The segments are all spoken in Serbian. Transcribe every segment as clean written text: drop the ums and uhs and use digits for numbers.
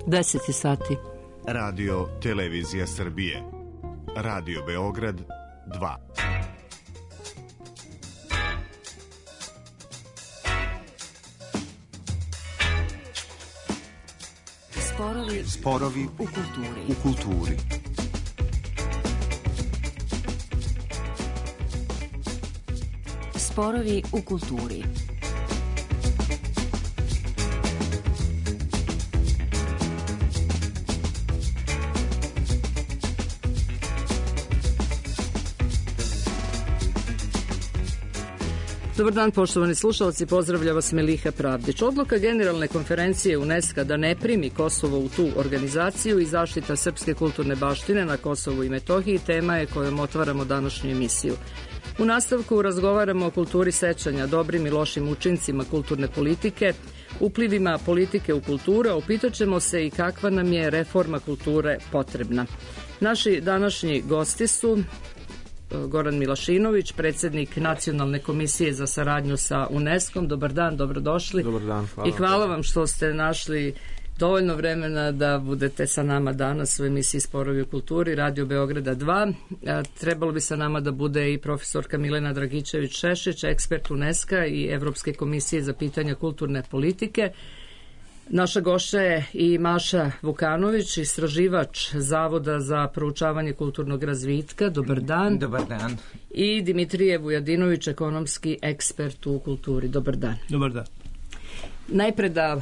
10 sati. Radio Televizija Srbije. Radio Beograd 2. Sporovi u kulturi. Sporovi u kulturi. Dobar dan, poštovani slušalci, pozdravlja vas Meliha Pravdić. Odluka Generalne konferencije UNESCO da ne primi Kosovo u tu organizaciju i zaštita srpske kulturne baštine na Kosovu i Metohiji tema je kojom otvaramo današnju emisiju. U nastavku razgovaramo o kulturi sećanja, dobrim i lošim učincima kulturne politike, uplivima politike u kulturu, a upitaćemo se i kakva nam je reforma kulture potrebna. Naši današnji gosti su Goran Milašinović, predsjednik Nacionalne komisije za saradnju sa UNESCO-om. Dobar dan, dobrodošli. Dobar dan, hvala. I hvala vam što ste našli dovoljno vremena da budete sa nama danas u emisiji Sporovi u kulturi, Radio Beograda 2. Trebalo bi sa nama da bude i profesorka Milena Dragičević-Šešić, ekspert UNESCO-a i Evropske komisije za pitanja kulturne politike. Naša gošća je i Maša Vukanović, istraživač Zavoda za proučavanje kulturnog razvitka. Dobar dan. Dobar dan. I Dimitrije Vujadinović, ekonomski ekspert u kulturi. Dobar dan. Dobar dan. Najpre da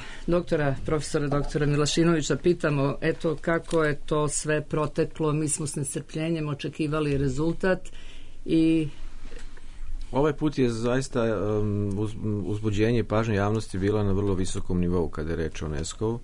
profesora doktora Milašinovića pitamo, eto kako je to sve proteklo, mi smo s nestrpljenjem očekivali rezultat i... Ovaj put je zaista uzbuđenje i pažnja javnosti bila na vrlo visokom nivou kada je reč o UNESCO-u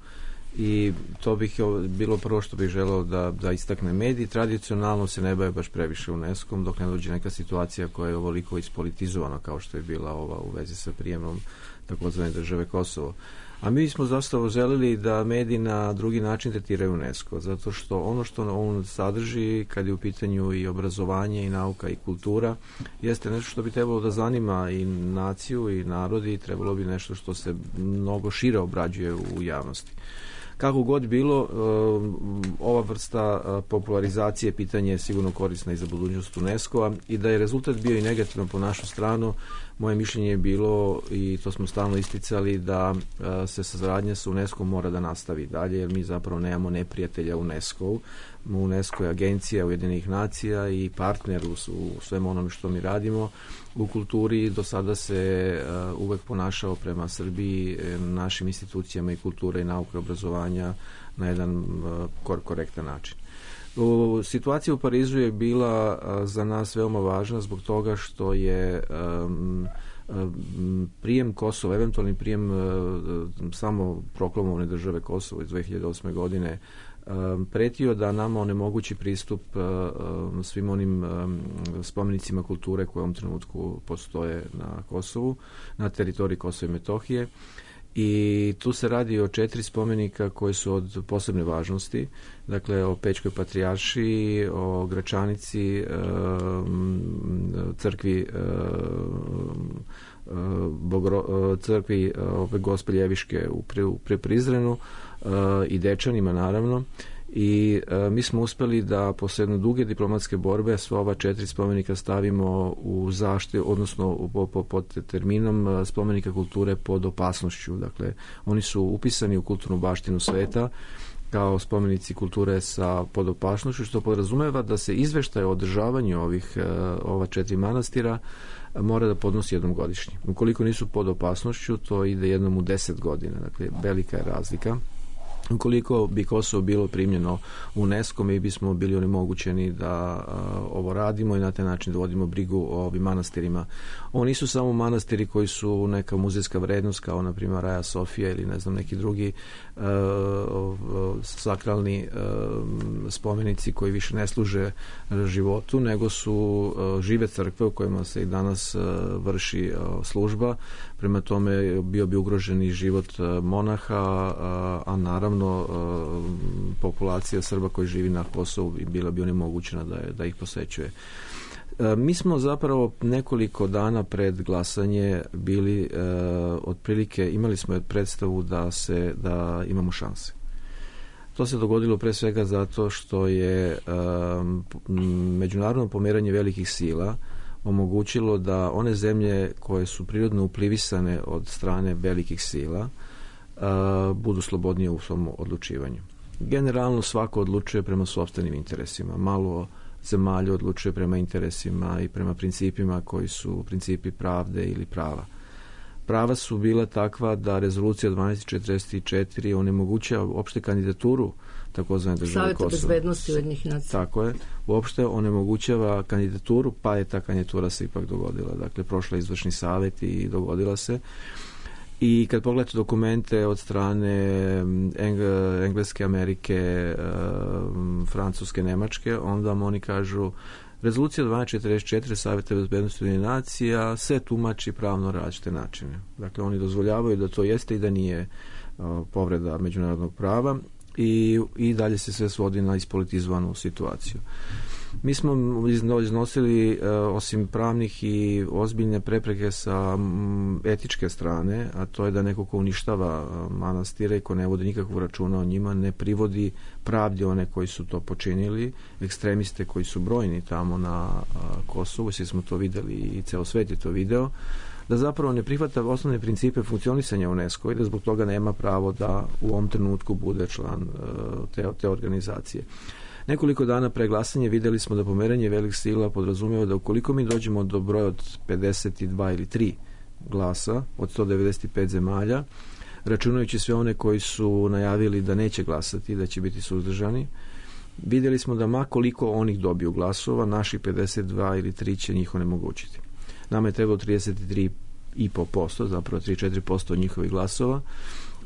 i to bih bilo prvo što bih želeo da istakne. Mediji tradicionalno se ne bave baš previše UNESCO-om dok ne dođe neka situacija koja je ovoliko ispolitizovana kao što je bila ova u vezi sa prijemom takozvane države Kosovo. A mi smo zapravo želeli da mediji na drugi način tretiraju UNESCO, zato što ono što on sadrži kad je u pitanju i obrazovanje i nauka i kultura jeste nešto što bi trebalo da zanima i naciju i narodi i trebalo bi nešto što se mnogo šire obrađuje u javnosti. Kako god bilo, ova vrsta popularizacije pitanje je sigurno korisna i za budućnost UNESCO-a i da je rezultat bio i negativan po našu stranu, moje mišljenje je bilo, i to smo stalno isticali, da se saradnja sa UNESCO-om mora da nastavi dalje, jer mi zapravo nemamo neprijatelja UNESCO-u. UNESCO je agencija Ujedinjenih nacija i partner u svem onome što mi radimo. U kulturi do sada se uvek ponašao prema Srbiji, našim institucijama i kulture i nauke i obrazovanja na jedan korektan način. Situacija u Parizu je bila za nas veoma važna zbog toga što je prijem Kosova, eventualni prijem samo proklamovane države Kosovo iz 2008. godine pretio da nama onemogući pristup svim onim spomenicima kulture koje u ovom trenutku postoje na Kosovu, na teritoriji Kosova i Metohije. I tu se radi o 4 spomenika koji su od posebne važnosti, dakle o Pećkoj patrijaršiji, o Gračanici, crkvi crkvi Gospelje Ljeviške u Prizrenu i Dečanima naravno. I mi smo uspeli da posle jedne duge diplomatske borbe sva ova 4 spomenika stavimo u zaštitu, odnosno pod terminom spomenika kulture pod opasnošću. Dakle, oni su upisani u kulturnu baštinu sveta kao spomenici kulture pod opasnošću, što podrazumeva da se izveštaj o održavanju ova 4 manastira mora da podnosi jednom godišnje. Ukoliko nisu pod opasnošću, to ide jednom u 10 godina. Dakle, velika je razlika. Ukoliko bi Kosovo bilo primljeno u UNESCO, mi bismo bili onemogućeni da ovo radimo i na taj način da vodimo brigu o ovim manastirima. Ovo nisu samo manastiri koji su neka muzejska vrednost, kao na primjer Raja Sofija ili ne znam neki drugi sakralni spomenici koji više ne služe životu, nego su žive crkve u kojima se i danas vrši služba. Prema tome bio bi ugrožen i život monaha, a naravno populacija Srba koji živi na Kosovu bila bi onemogućena da ih posećuje. Mi smo zapravo nekoliko dana pred glasanje bili otprilike, imali smo predstavu da imamo šanse. To se dogodilo pre svega zato što je međunarodno pomeranje velikih sila omogućilo da one zemlje koje su prirodno uplivisane od strane velikih sila budu slobodnije u svom odlučivanju. Generalno svako odlučuje prema sopstvenim interesima. Malo zemalja odlučuje prema interesima i prema principima koji su principi pravde ili prava. Prava su bila takva da rezolucija 1244 onemogućava opšte kandidaturu takozvane države Kosovo. Saveta bezbednosti Ujedinjenih nacija. Tako je. Uopšte onemogućava kandidaturu, pa je ta kandidatura se ipak dogodila. Dakle, prošla izvršni savet i dogodila se. I kad pogledate dokumente od strane Engleske, Amerike, Francuske, Nemačke, onda vam oni kažu rezolucija 1244 Saveta bezbednosti Ujedinjenih nacija se tumači pravno različite načine. Dakle, oni dozvoljavaju da to jeste i da nije povreda međunarodnog prava i dalje se sve svodi na ispolitizovanu situaciju. Mi smo iznosili osim pravnih i ozbiljne prepreke sa etičke strane, a to je da neko ko uništava manastire i ko ne vodi nikakvog računa o njima, ne privodi pravdi one koji su to počinili, ekstremiste koji su brojni tamo na Kosovu, svi smo to videli i ceo svet je to video, da zapravo ne prihvata osnovne principe funkcionisanja UNESCO i da zbog toga nema pravo da u ovom trenutku bude član te organizacije. Nekoliko dana pre glasanja videli smo da pomeranje velikih sila podrazumeva da ukoliko mi dođemo do broja od 52 ili 3 glasa od 195 zemalja, računajući sve one koji su najavili da neće glasati, da će biti suzdržani, videli smo da makoliko onih dobiju glasova, naši 52 ili 3 će njih onemogućiti. Nama je trebalo 33,5%, zapravo 3-4% od njihovih glasova.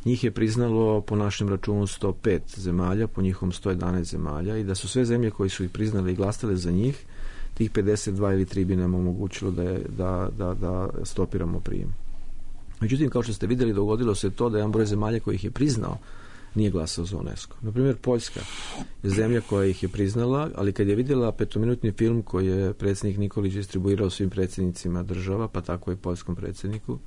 Njih je priznalo po našem računu 105 zemalja, po njihovom 111 zemalja i da su sve zemlje koji su ih priznale i glasale za njih, tih 52 ili 3 bi nam omogućilo da stopiramo prijem. Međutim, kao što ste vidjeli, dogodilo se to da jedan broj zemalja koji ih je priznao nije glasao za UNESCO. Naprimjer, Poljska je zemlja koja ih je priznala, ali kad je vidjela 5-minutni film koji je predsjednik Nikolić distribuirao svim predsjednicima država, pa tako i poljskom predsjedniku,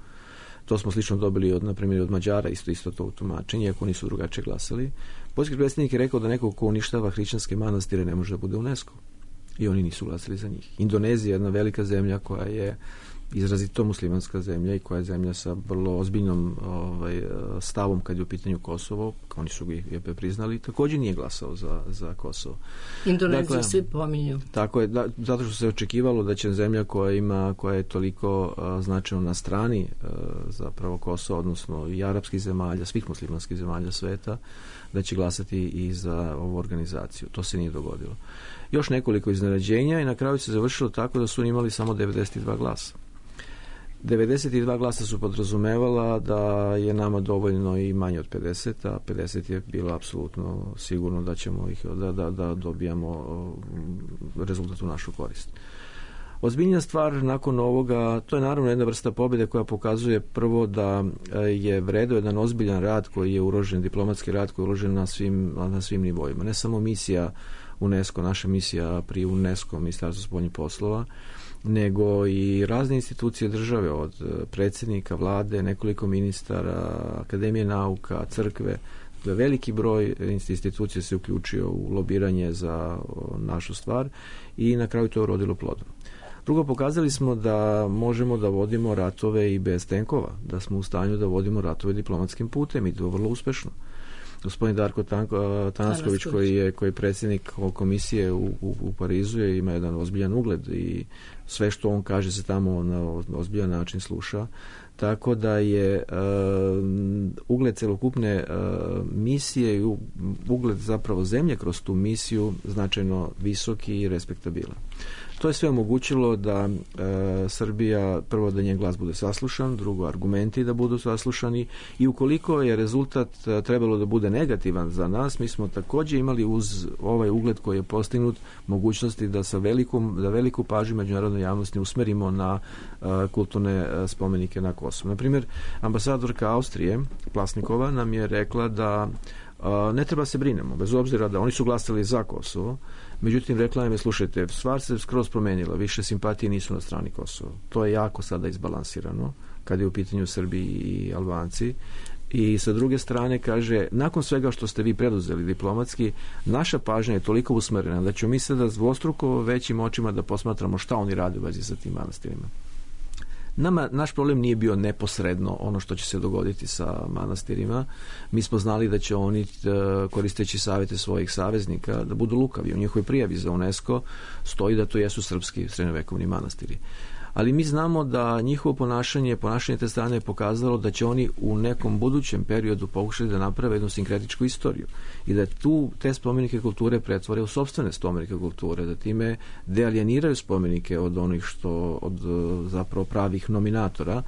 to smo slično dobili na primjer od Mađara, isto to tumačenje, iako nisu drugačije glasali. Poljski predsjednik je rekao da neko ko uništava hrišćanske manastire ne može da bude UNESCO. I oni nisu glasali za njih. Indonezija je jedna velika zemlja koja je izrazito muslimanska zemlja i koja je zemlja sa vrlo ozbiljnom stavom kad je u pitanju Kosovo, oni su ga priznali, također nije glasao za Kosovo. Indoneziju svi pominju. Tako je, zato što se očekivalo da će zemlja koja je toliko značajno na strani zapravo Kosova, odnosno i arapskih zemalja, svih muslimanskih zemalja sveta, da će glasati i za ovu organizaciju. To se nije dogodilo. Još nekoliko iznenađenja i na kraju se završilo tako da su oni imali samo 92 glasa. 92 glasa su podrazumevala da je nama dovoljno i manje od 50, a 50 je bilo apsolutno sigurno da ćemo da dobijamo rezultat u našu korist. Ozbiljna stvar nakon ovoga, to je naravno jedna vrsta pobjede koja pokazuje prvo da je vredeo jedan ozbiljan rad koji je uložen, diplomatski rad koji je uložen na svim nivoima. Ne samo misija UNESCO, naša misija pri UNESCO, Ministarstvo spoljnih poslova, nego i razne institucije države, od predsjednika, vlade, nekoliko ministara, Akademije nauka, crkve. Veliki broj institucija se uključio u lobiranje za našu stvar i na kraju to je urodilo plodom. Drugo, pokazali smo da možemo da vodimo ratove i bez tenkova, da smo u stanju da vodimo ratove diplomatskim putem i to vrlo uspešno. Gospodin Darko Tanasković koji je predsjednik komisije u Parizu ima jedan ozbiljan ugled i sve što on kaže se tamo na ozbiljan način sluša, tako da je ugled celokupne misije i ugled zapravo zemlje kroz tu misiju značajno visoki i respektabilan. To je sve omogućilo da Srbija, prvo da njen glas bude saslušan, drugo argumenti da budu saslušani i ukoliko je rezultat trebalo da bude negativan za nas, mi smo također imali uz ovaj ugled koji je postignut mogućnosti da veliku pažnju međunarodne javnosti usmerimo na kulturne spomenike na Kosovu. Naprimjer, ambasadorka Austrije, Plasnikova, nam je rekla da ne treba se brinemo, bez obzira da oni su glasali za Kosovo, međutim rekla nam je, slušajte, stvar se skroz promenila, više simpatije nisu na strani Kosova. To je jako sada izbalansirano kad je u pitanju Srbi i Albanci I sa druge strane kaže, nakon svega što ste vi preduzeli diplomatski, naša pažnja je toliko usmerena da ćemo mi sada dvostruko većim očima da posmatramo šta oni rade u vezi sa tim manastirima. Naš problem nije bio neposredno ono što će se dogoditi sa manastirima. Mi smo znali da će oni, koristeći savjete svojih saveznika, da budu lukavi. U njihovoj prijavi za UNESCO stoji da to jesu srpski srednjovekovni manastiri. Ali mi znamo da njihovo ponašanje te strane je pokazalo da će oni u nekom budućem periodu pokušati da naprave jednu sinkretičku istoriju i da te spomenike kulture pretvore u sopstvene spomenike kulture, da time dealijeniraju spomenike od onih od zapravo pravih nominatora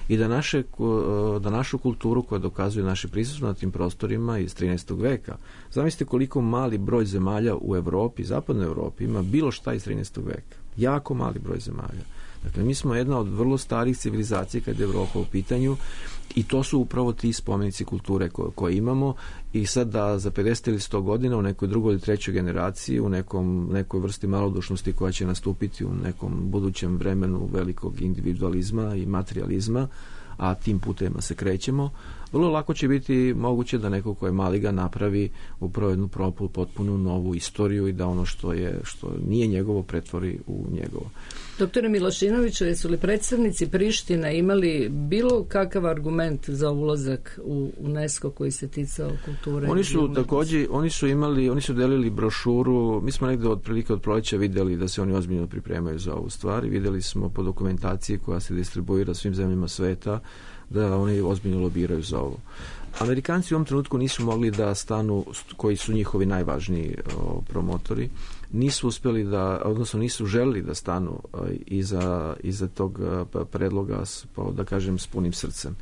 i da našu kulturu koja dokazuje naše prisustvo na tim prostorima iz 13. veka. Zamislite koliko mali broj zemalja u Evropi, zapadnoj Evropi, ima bilo šta iz 13. veka. Jako mali broj zemalja. Dakle, mi smo jedna od vrlo starih civilizacija kad je Evropa u pitanju i to su upravo ti spomenici kulture koje imamo i sad da za 50 ili 100 godina u nekoj drugoj ili trećoj generaciji, u nekoj vrsti malodušnosti koja će nastupiti u nekom budućem vremenu velikog individualizma i materializma, a tim putevima se krećemo, vrlo lako će biti moguće da neko ko je maliga napravi upravo jednu potpunu novu istoriju i da ono što nije njegovo pretvori u njegovo. Doktore Milošinoviću, jesu li predstavnici Prištine imali bilo kakav argument za ulazak u UNESCO koji se ticao kulture? Oni su također, oni su delili brošuru, mi smo negde otprilike od proleća videli da se oni ozbiljno pripremaju za ovu stvar i videli smo po dokumentaciji koja se distribuira svim zemljama sveta da oni ozbiljno lobiraju za ovo. Amerikanci u ovom trenutku nisu mogli da stanu, koji su njihovi najvažniji promotori, nisu uspjeli odnosno nisu želili da stanu iza tog predloga, da kažem, s punim srcem.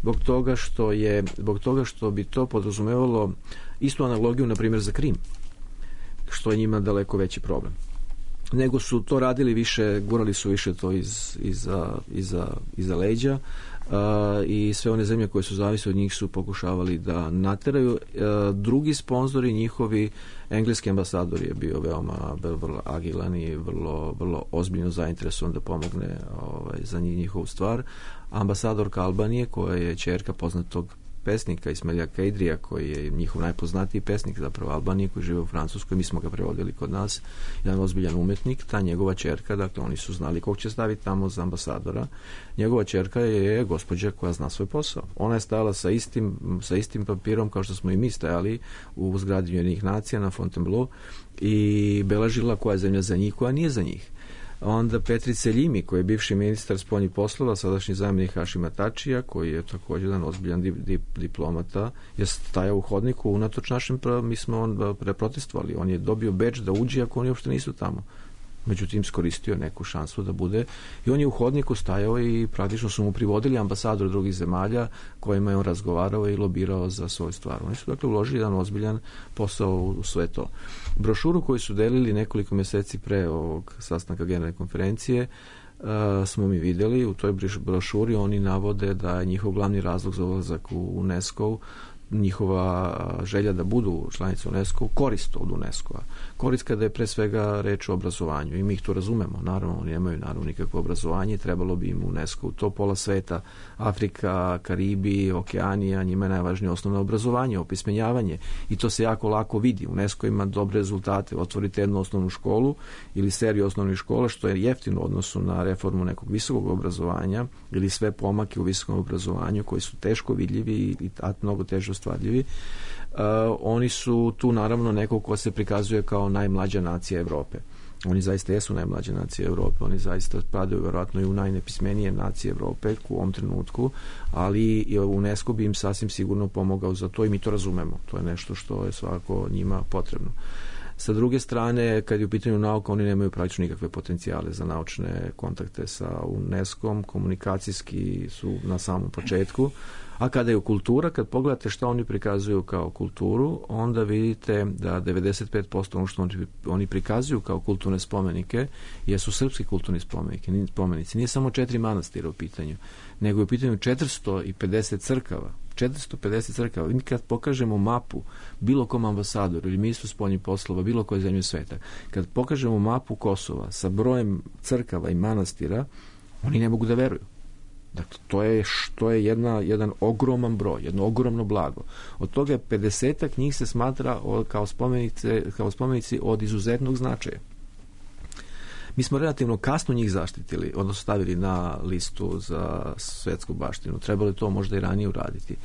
Zbog toga što bi to podrazumevalo istu analogiju, na primjer, za Krim, što je njima daleko veći problem. Nego su to radili više, gurali su više to iza leđa i sve one zemlje koje su zavisne od njih su pokušavali da nateraju. Drugi sponzori njihovi, engleski ambasador je bio vrlo agilan i vrlo ozbiljno zainteresovan da pomogne za njihovu stvar. Ambasadorka Albanije, koja je ćerka poznatog pesnika Ismaila Keidrija, koji je njihov najpoznatiji pesnik zapravo Albanije, koji žive u Francuskoj, mi smo ga prevodili kod nas, jedan ozbiljan umetnik, ta njegova ćerka, dakle oni su znali kog će staviti tamo za ambasadora. Njegova ćerka je gospođa koja zna svoj posao. Ona je stajala sa istim papirom kao što smo i mi stajali u zgradi Ujedinjenih nacija na Fontainebleau i beležila koja je zemlja za njih, koja nije za njih. Onda Petri Seljimi, koji je bivši ministar spoljnih poslova, sadašnji zamjenik Hašima Tačija, koji je također jedan ozbiljan diplomata, je stajao u hodniku unatoč našem, mi smo protestovali. On je dobio bedž da uđe ako oni uopšte nisu tamo. Međutim, skoristio neku šansu da bude i on je u hodniku stajao i praktično su mu privodili ambasador drugih zemalja kojima je on razgovarao i lobirao za svoju stvar. Oni su dakle uložili jedan ozbiljan posao u sve to. Brošuru koju su delili nekoliko mjeseci pre ovog sastanka generalne konferencije smo mi vidjeli. U toj brošuri oni navode da je njihov glavni razlog za ulazak u UNESCO njihova želja da budu članice UNESCO korist od UNESCO-a. Korist kada je pre svega reč o obrazovanju i mi ih to razumemo. Naravno, oni nemaju nikakvo obrazovanje, trebalo bi im UNESCO u to pola sveta, Afrika, Karibi, Okeanija, njima je najvažnije osnovno obrazovanje, opismenjavanje i to se jako lako vidi. UNESCO ima dobre rezultate. Otvorite jednu osnovnu školu ili seriju osnovnih škola, što je jeftino u odnosu na reformu nekog visokog obrazovanja ili sve pomake u visokom obrazovanju koji su teško vidljivi i mnogo teže ostvarljivi. Oni su tu naravno neko ko se prikazuje kao najmlađa nacija Evrope. Oni zaista jesu najmlađe nacije Evrope, oni zaista spadaju vjerojatno i u najnepismenije nacije Evrope u ovom trenutku, ali UNESCO bi im sasvim sigurno pomogao za to i mi to razumemo. To je nešto što je svakako njima potrebno. Sa druge strane, kad je u pitanju nauka, oni nemaju praktično nikakve potencijale za naučne kontakte sa UNESCO-om, komunikacijski su na samom početku, a kada je kultura, kad pogledate što oni prikazuju kao kulturu, onda vidite da 95% ono što oni prikazuju kao kulturne spomenike jesu srpski kulturni spomenici. Nije samo 4 manastira u pitanju, nego je u pitanju 450 crkava. 450 crkava. Mi kad pokažemo mapu bilo kom ambasadoru ili ministru spoljnih poslova, bilo koje zemlje sveta, kad pokažemo mapu Kosova sa brojem crkava i manastira, oni ne mogu da veruju. Dakle, to je jedan ogroman broj, jedno ogromno blago. Od toga 50-ak njih se smatra kao spomenici od izuzetnog značaja. Mi smo relativno kasno njih zaštitili, odnosno stavili na listu za svetsku baštinu. Trebalo je to možda i ranije uraditi.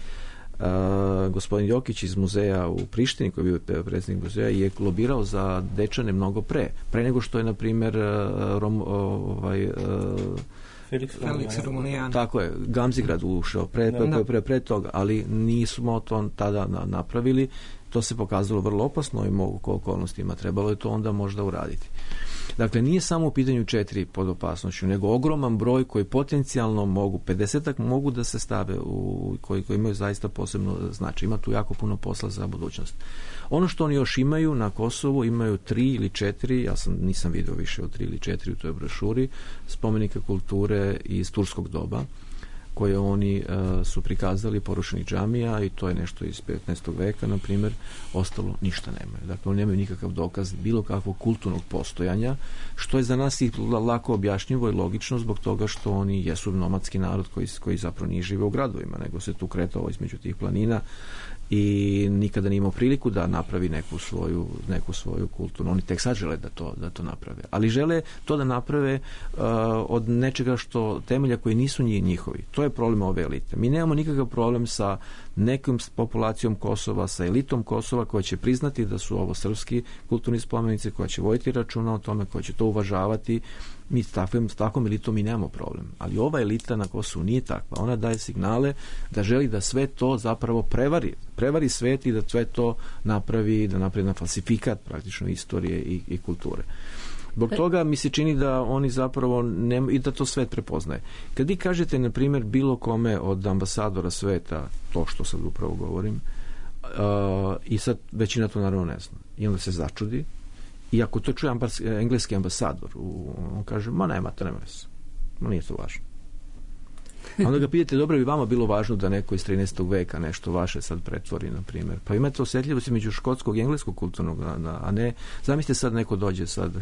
Gospodin Jokić iz muzeja u Prištini, koji je bio predsjednik muzeja, je lobirao za Dečane mnogo pre nego što je, na primjer, Felix Romunijan. Tako je, Gamzigrad ušao pre toga, ali nismo to tada napravili. To se pokazalo vrlo opasno i mogu okolnostima. Trebalo je to onda možda uraditi. Dakle, nije samo u pitanju 4 pod opasnošću, nego ogroman broj koji potencijalno mogu, 50-ak mogu da se stave koji imaju zaista posebno značaj. Ima tu jako puno posla za budućnost. Ono što oni još imaju na Kosovu, imaju 3 ili 4, nisam vidio više od 3 ili 4 u toj brošuri, spomenika kulture iz turskog doba, koje oni su prikazali porušenih džamija, i to je nešto iz 15. veka, na primjer. Ostalo ništa nemaju. Dakle, oni nemaju nikakav dokaz bilo kakvog kulturnog postojanja, što je za nas i lako objašnjivo i logično, zbog toga što oni jesu nomadski narod koji zapravo nije žive u gradovima, nego se tu kretao između tih planina i nikada nije imao priliku da napravi neku svoju kulturnu. Oni tek sad žele da to naprave. Ali žele to da naprave od nečega temelja koji nisu njihovi. To je problem ove elite. Mi nemamo nikakav problem sa nekom populacijom Kosova, sa elitom Kosova, koja će priznati da su ovo srpski kulturni spomenici, koja će voditi računa o tome, koja će to uvažavati. Mi s takvom elitom mi nemamo problem. Ali ova elita na Kosovu nije takva. Ona daje signale da želi da sve to zapravo prevari svet i da sve to napravi na falsifikat praktično istorije i kulture. Zbog toga mi se čini da oni zapravo i da to svet prepoznaje. Kad vi kažete, na primjer, bilo kome od ambasadora sveta, to što sad upravo govorim, i sad većina to naravno ne zna. I onda se začudi. I ako to čuje engleski ambasador, on kaže, nema veze. Nije to važno. A onda ga pitate, dobro bi vama bilo važno da neko iz 13. veka nešto vaše sad pretvori, na primjer. Pa imate osjetljivost među škotskog i engleskog kulturnog, a ne, zamislite sad neko dođe sad,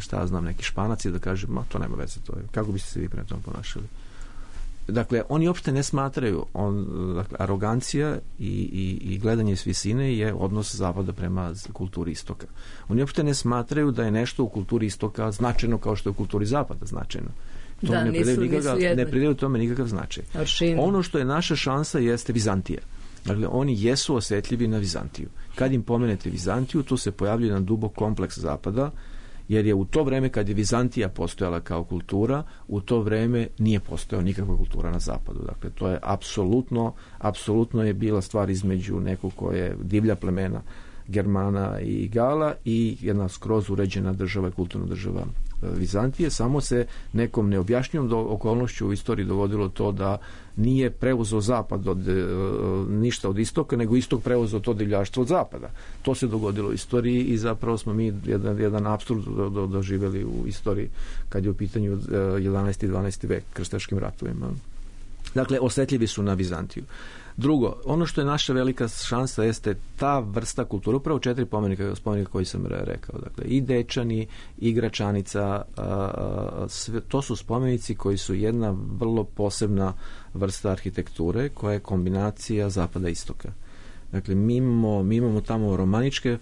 neki Španac, i da kaže, to nema veze, to je. Kako biste se vi prema tom ponašali? Dakle, oni uopšte ne smatraju, arogancija i gledanje s visine je odnos zapada prema kulturi istoka. Oni uopšte ne smatraju da je nešto u kulturi istoka značajno kao što je u kulturi zapada značajno. Ne pridaju tome nikakav značaj. Ono što je naša šansa jeste Vizantija. Dakle, oni jesu osjetljivi na Vizantiju. Kad im pomenete Vizantiju, tu se pojavljuje jedan dubok kompleks zapada, jer je u to vreme kad je Vizantija postojala kao kultura, u to vreme nije postojala nikakva kultura na zapadu. Dakle, to je apsolutno je bila stvar između nekog koje je divlja plemena Germana i Gala i jedna skroz uređena država, kulturna država Vizantije. Samo se nekom neobjašnjivom okolnošću u istoriji dogodilo to da nije preuzeo zapad ništa od istoka, nego istok preuzeo to divljaštvo od zapada. To se dogodilo u istoriji i zapravo smo mi jedan apsurd doživjeli u istoriji kad je u pitanju 11. i 12. vek, krstaškim ratovima. Dakle, osjetljivi su na Vizantiju. Drugo, ono što je naša velika šansa jeste ta vrsta kulture, upravo 4 spomenika koji sam rekao. Dakle, i Dečani, i Gračanica, to su spomenici koji su jedna vrlo posebna vrsta arhitekture koja je kombinacija zapada i istoka. Dakle, mi imamo tamo romaničke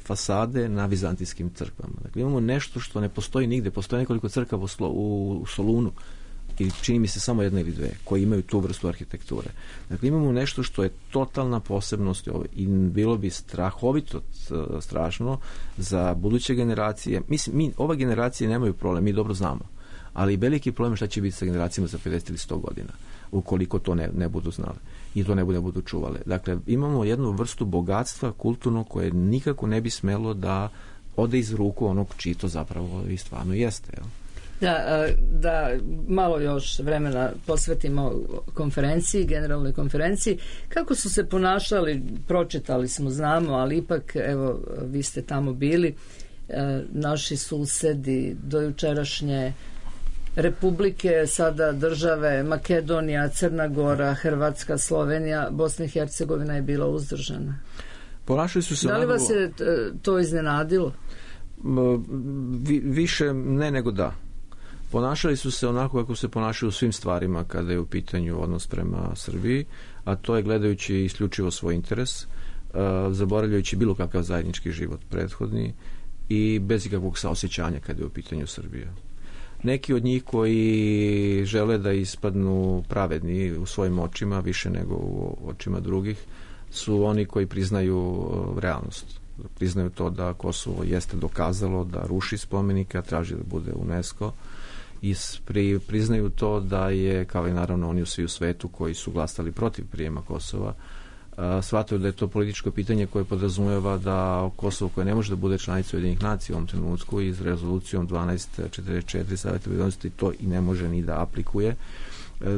fasade na vizantijskim crkvama. Dakle, imamo nešto što ne postoji nigde. Postoji nekoliko crkava u Solunu, i čini mi se samo jedna ili dve, koji imaju tu vrstu arhitekture. Dakle, imamo nešto što je totalna posebnost i bilo bi strahovito strašno za buduće generacije. Mislim, ova generacija nemaju problem, mi dobro znamo, ali veliki problem šta će biti sa generacijama za 50 ili 100 godina, ukoliko to ne budu znali i to ne budu čuvale. Dakle, imamo jednu vrstu bogatstva kulturno koje nikako ne bi smelo da ode iz ruku onog čiji to zapravo i stvarno jeste, jel? Da malo još vremena posvetimo konferenciji, generalnoj konferenciji. Kako su se ponašali, pročitali smo, znamo, ali ipak, evo, vi ste tamo bili, naši susedi, dojučerašnje republike, sada države Makedonija, Crna Gora, Hrvatska, Slovenija, Bosna i Hercegovina je bila uzdržana. Ponašali su se. Da li vas je to iznenadilo? Više ne nego da. Ponašali su se onako kako se ponašaju u svim stvarima kada je u pitanju odnos prema Srbiji, a to je gledajući isključivo svoj interes, zaboravljajući bilo kakav zajednički život prethodni i bez ikakvog saosjećanja kada je u pitanju Srbija. Neki od njih koji žele da ispadnu pravedni u svojim očima više nego u očima drugih su oni koji priznaju realnost. Priznaju to da Kosovo jeste dokazalo da ruši spomenike, a traži da bude UNESCO, i priznaju to da je, kao i naravno oni svi u svetu koji su glasali protiv prijema Kosova, shvataju da je to političko pitanje koje podrazumijeva da Kosovo, koje ne može da bude članica Ujedinjenih nacija u ovom trenutku, iz rezolucijom 1244 Saveta bezbednosti to i ne može ni da aplikuje,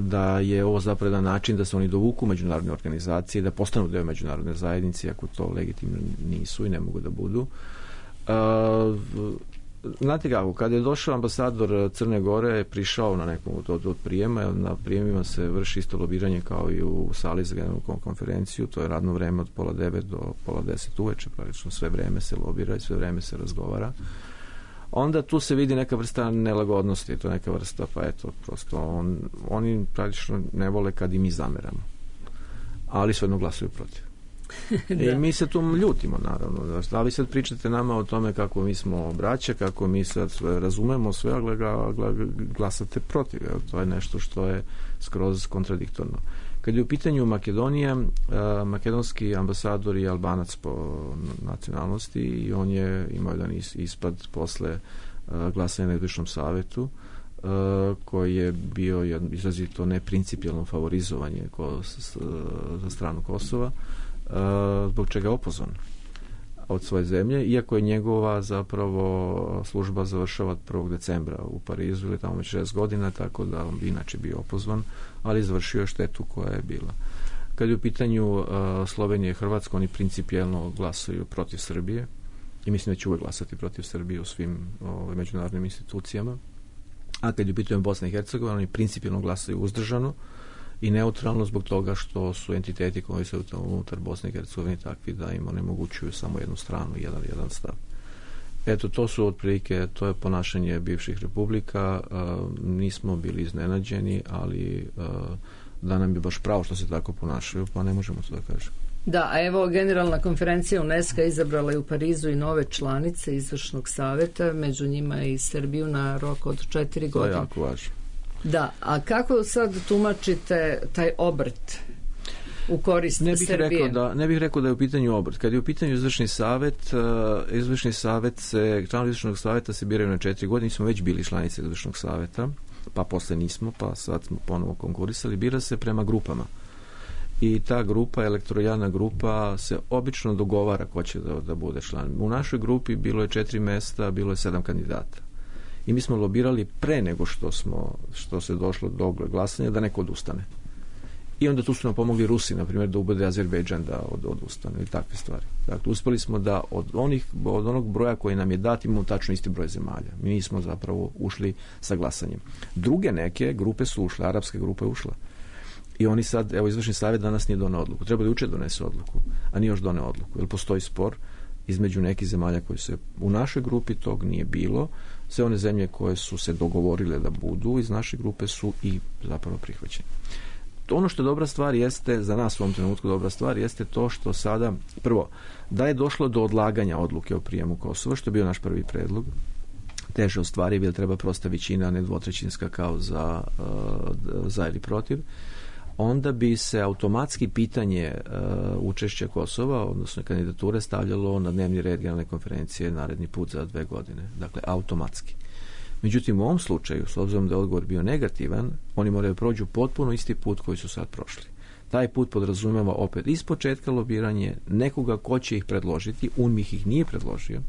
da je ovo zapravo jedan način da se oni dovuku međunarodne organizacije, da postanu deo međunarodne zajednice, ako to legitimno nisu i ne mogu da budu. Znate kako, kada je došao ambasador Crne Gore, je prišao na nekom od prijema, na prijemima se vrši isto lobiranje kao i u sali za generalnu konferenciju, to je radno vreme od 8:30 do 9:30 uveče, praktično sve vreme se lobira i sve vreme se razgovara. Onda tu se vidi neka vrsta nelagodnosti, to je neka vrsta, pa eto, prosto oni praktično ne vole kad i mi zameramo, ali svejedno glasuju protiv. I mi se tu ljutimo, naravno. Da vi sad pričate nama o tome kako mi smo braća, kako mi sad razumemo sve, a glasate protiv. To je nešto što je skroz kontradiktorno. Kad je u pitanju Makedonija, makedonski ambasador je Albanac po nacionalnosti i on je imao jedan ispad posle glasanja na Izvršnom savetu, koji je bio izrazito neprincipijalno favorizovanje za stranu Kosova, zbog čega je opozvan od svoje zemlje, iako je njegova zapravo služba završava 1. decembra u Parizu, ili tamo već 6 godina, tako da on bi inače bio opozvan, ali završio je štetu koja je bila. Kad je u pitanju Slovenije i Hrvatska, oni principijelno glasuju protiv Srbije i mislim da će uvek glasati protiv Srbije u svim međunarodnim institucijama. A kad je u pitanju Bosna i Hercegovina, oni principijelno glasaju uzdržano i neutralno zbog toga što su entiteti koji su unutar Bosne i Hercegovine takvi da im onemogućuju samo jednu stranu, jedan stav. Eto, to su otprilike, to je ponašanje bivših republika. Nismo bili iznenađeni, ali da nam je baš pravo što se tako ponašaju, pa ne možemo to da kažemo. Da, a evo, Generalna konferencija UNESCO izabrala je u Parizu i nove članice Izvršnog saveta, među njima i Srbiju na rok od 4 godine. To je jako važno. Da, a kako sad tumačite taj obrt u korist Srbije? Ne bih rekao da je u pitanju obrt. Kad je u pitanju Izvršni savet, članovi Izvršnog saveta se biraju na 4 godine, smo već bili članice Izvršnog saveta, pa posle nismo, pa sad smo ponovo konkurisali, bira se prema grupama. I ta grupa, elektoralna grupa, se obično dogovara ko će da bude član. U našoj grupi bilo je 4 mesta, bilo je 7 kandidata. I mi smo lobirali pre nego što se došlo do glasanja da neko odustane. I onda tu su nam pomogli Rusi, na primjer, da ubede Azerbejdžan da odustane i takve stvari. Dakle, uspeli smo da od onog broja koji nam je dat imamo tačno isti broj zemalja. Mi nismo zapravo ušli sa glasanjem. Druge neke grupe su ušle, arapska grupa je ušla. I oni sad, evo, Izvršni savjet danas nije doneo odluku. Treba da juče donese odluku, a nije još doneo odluku. Jer postoji spor između nekih zemalja koji se u našoj grupi tog nije bilo. Sve one zemlje koje su se dogovorile da budu iz naše grupe su i zapravo prihvaćene. Ono što je dobra stvar jeste, za nas u ovom trenutku dobra stvar, jeste to što sada, prvo, da je došlo do odlaganja odluke o prijemu Kosova, što je bio naš prvi predlog, teže ostvariv, jer treba prosta većina, ne dvotrećinska kao za ili protiv, onda bi se automatski pitanje učešća Kosova, odnosno kandidature, stavljalo na dnevni red Generalne konferencije naredni put za 2 godine. Dakle, automatski. Međutim, u ovom slučaju, s obzirom da je odgovor bio negativan, oni moraju prođu potpuno isti put koji su sad prošli. Taj put podrazumijeva opet iz početka lobiranje nekoga ko će ih predložiti, UNMIK ih nije predložio.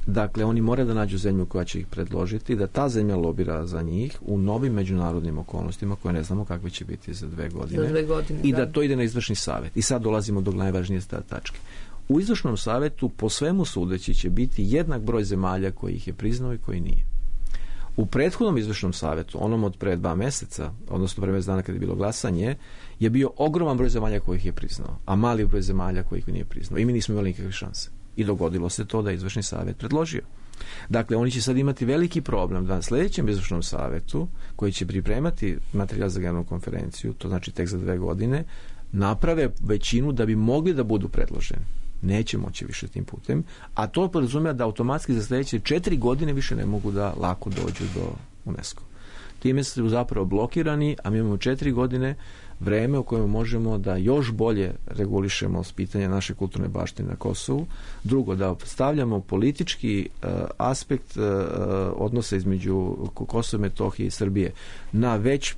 Dakle, oni moraju da nađu zemlju koja će ih predložiti, da ta zemlja lobira za njih u novim međunarodnim okolnostima koje ne znamo kakve će biti za 2 godine. Za 2 godine, i da to ide na Izvršni savet. I sad dolazimo do najvažnije tačke. U Izvršnom savetu po svemu sudeći će biti jednak broj zemalja koji ih je priznao i koji nije. U prethodnom Izvršnom savetu, onom od pre 2 meseca, odnosno pre mesec dana kada je bilo glasanje, je bio ogroman broj zemalja koji ih je priznao, a mali broj zemalja koji ih nije priznao. I mi nismo imali nikakve šanse. I dogodilo se to da je Izvršni savet predložio. Dakle, oni će sad imati veliki problem da na sljedećem izvršnom savjetu, koji će pripremati materijal za generalnu konferenciju, to znači tek za 2 godine, naprave većinu da bi mogli da budu predloženi. Neće moći više tim putem, a to podrazumijeva da automatski za sljedeće 4 godine više ne mogu da lako dođu do UNESCO. Time su zapravo blokirani, a mi imamo 4 godine vreme u kojem možemo da još bolje regulišemo pitanje naše kulturne baštine na Kosovu. Drugo, da stavljamo politički aspekt odnosa između Kosova i Metohije i Srbije na već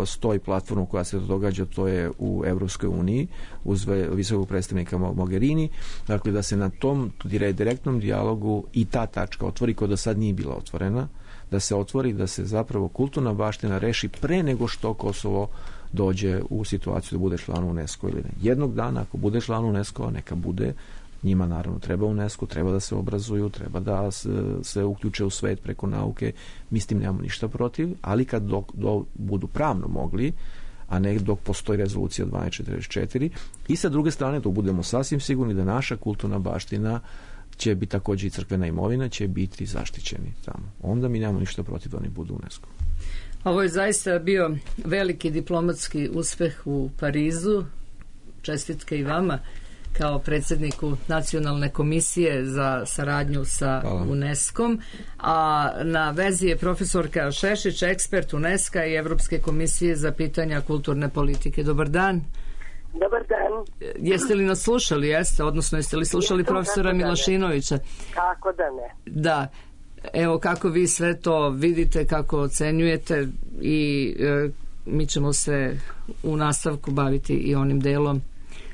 stoji platformu koja se događa, to je u Evropskoj uniji uz visokog predstavnika Mogherini, dakle da se na tom direktnom dijalogu i ta tačka otvori koja do sad nije bila otvorena, da se otvori, da se zapravo kulturna baština reši pre nego što Kosovo dođe u situaciju da bude član UNESCO ili ne. Jednog dana ako bude član UNESCO, neka bude, njima naravno treba UNESCO, treba da se obrazuju, treba da se uključe u svet preko nauke, mi s tim nemamo ništa protiv, ali kad budu pravno mogli, a ne dok postoji rezolucija 1244, i sa druge strane dok budemo sasvim sigurni da naša kulturna baština će biti također i crkvena imovina, će biti zaštićeni tamo. Onda mi nemamo ništa protiv da oni budu UNESCO. Ovo je zaista bio veliki diplomatski uspeh u Parizu. Čestitke i vama kao predsjedniku Nacionalne komisije za saradnju sa UNESCO-om, a na vezi je profesorka Šešić, ekspert UNESCO i Evropske komisije za pitanja kulturne politike. Dobar dan. Dobar dan. Jeste li nas slušali? Jeste, odnosno jeste li slušali profesora Milošinovića? Kako da ne? Da. Evo kako vi sve to vidite, kako ocenjujete i mi ćemo se u nastavku baviti i onim delom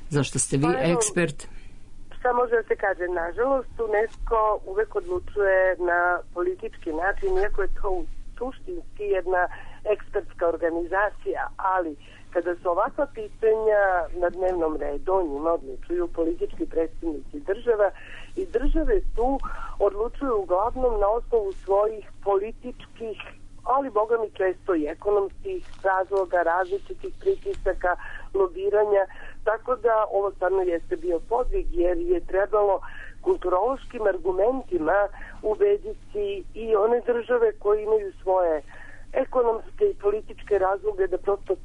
zašto ste vi ekspert. Šta može da se kaže? Nažalost, UNESCO uvek odlučuje na politički način, iako je to suštinski jedna ekspertska organizacija, ali kada su ovakva pitanja na dnevnom redu, o njima odlučuju politički predstavnici država i države tu odlučuju uglavnom na osnovu svojih političkih, ali boga mi često i ekonomskih razloga, različitih pritisaka, lobiranja, tako da ovo stvarno jeste bio podvig jer je trebalo kulturološkim argumentima ubediti i one države koje imaju svoje ekonomske i političke razloge da prosto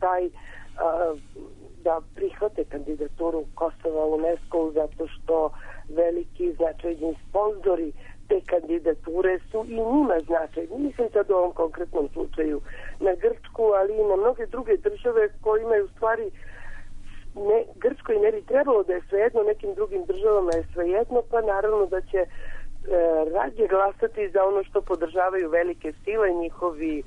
da prihvate kandidaturu Kosova u UNESCO zato što veliki značajni sponzori te kandidature su i njima značajni. Mislim sad u ovom konkretnom slučaju na Grčku, ali i na mnoge druge države koje imaju u stvari Grčkoj ne bi trebalo da je svejedno, nekim drugim državama je svejedno, pa naravno da će radije glasati za ono što podržavaju velike sile, njihovi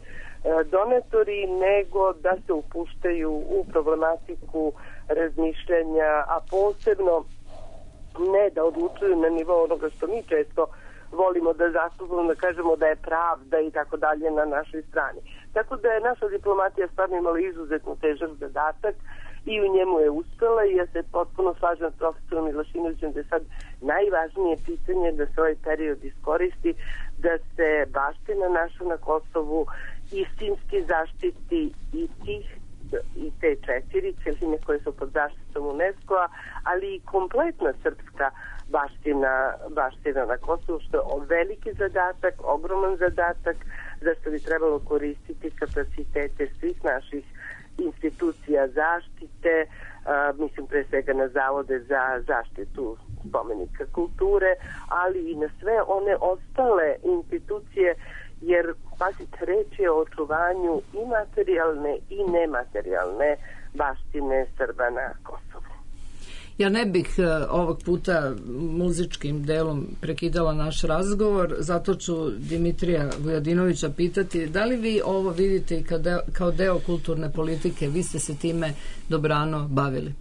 donatori, nego da se upuštaju u problematiku razmišljanja, a posebno ne da odlučuju na nivou onoga što mi često volimo da zastupamo, da kažemo da je pravda i tako dalje na našoj strani. Tako da je naša diplomatija stvarno imala izuzetno težak zadatak i u njemu je uspela i ja se potpuno slažem s profesorom Milošinovićem da je sad najvažnije pitanje da se ovaj period iskoristi, da se baština naša na Kosovu istinski zaštiti i te 4 celine koje su pod zaštitom UNESCO-a, ali i kompletna srpska baština na Kosovu, što je veliki zadatak, ogroman zadatak, zašto bi trebalo koristiti kapacitete svih naših institucija zaštite, mislim pre svega na zavode za zaštitu spomenika kulture, ali i na sve one ostale institucije, jer pazite, reč je o očuvanju i materijalne i nematerijalne baštine Srba na Kosovu. Ja ne bih ovog puta muzičkim delom prekidala naš razgovor, zato ću Dimitrija Vujadinovića pitati da li vi ovo vidite i kao deo kulturne politike, vi ste se time dobrano bavili?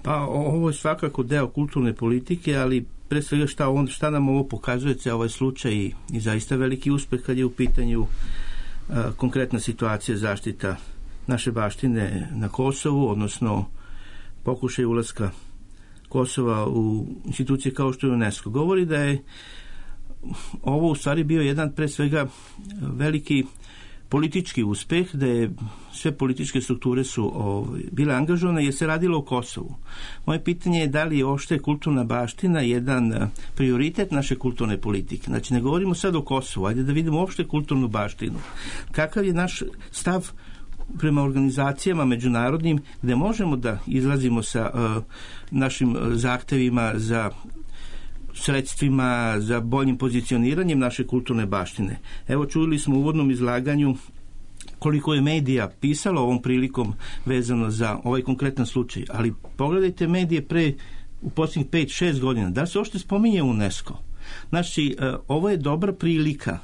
Pa ovo je svakako deo kulturne politike, ali pre svega šta nam ovo pokazuje ovaj slučaj i zaista veliki uspeh kad je u pitanju konkretna situacija zaštita naše baštine na Kosovu, odnosno pokušaj ulaska Kosova u institucije kao što je UNESCO. Govori da je ovo u stvari bio jedan pre svega veliki politički uspeh, da je sve političke strukture su bile angažovane jer se radilo o Kosovu. Moje pitanje je da li je uopšte kulturna baština jedan prioritet naše kulturne politike. Znači, ne govorimo sad o Kosovu, ajde da vidimo uopšte kulturnu baštinu. Kakav je naš stav prema organizacijama međunarodnim gde možemo da izlazimo sa našim zahtevima za sredstvima, za boljim pozicioniranjem naše kulturne baštine. Evo, čuli smo u uvodnom izlaganju koliko je medija pisalo ovom prilikom vezano za ovaj konkretan slučaj, ali pogledajte medije u posljednjih 5-6 godina, da se uopšte spominje UNESCO. Znači, ovo je dobra prilika,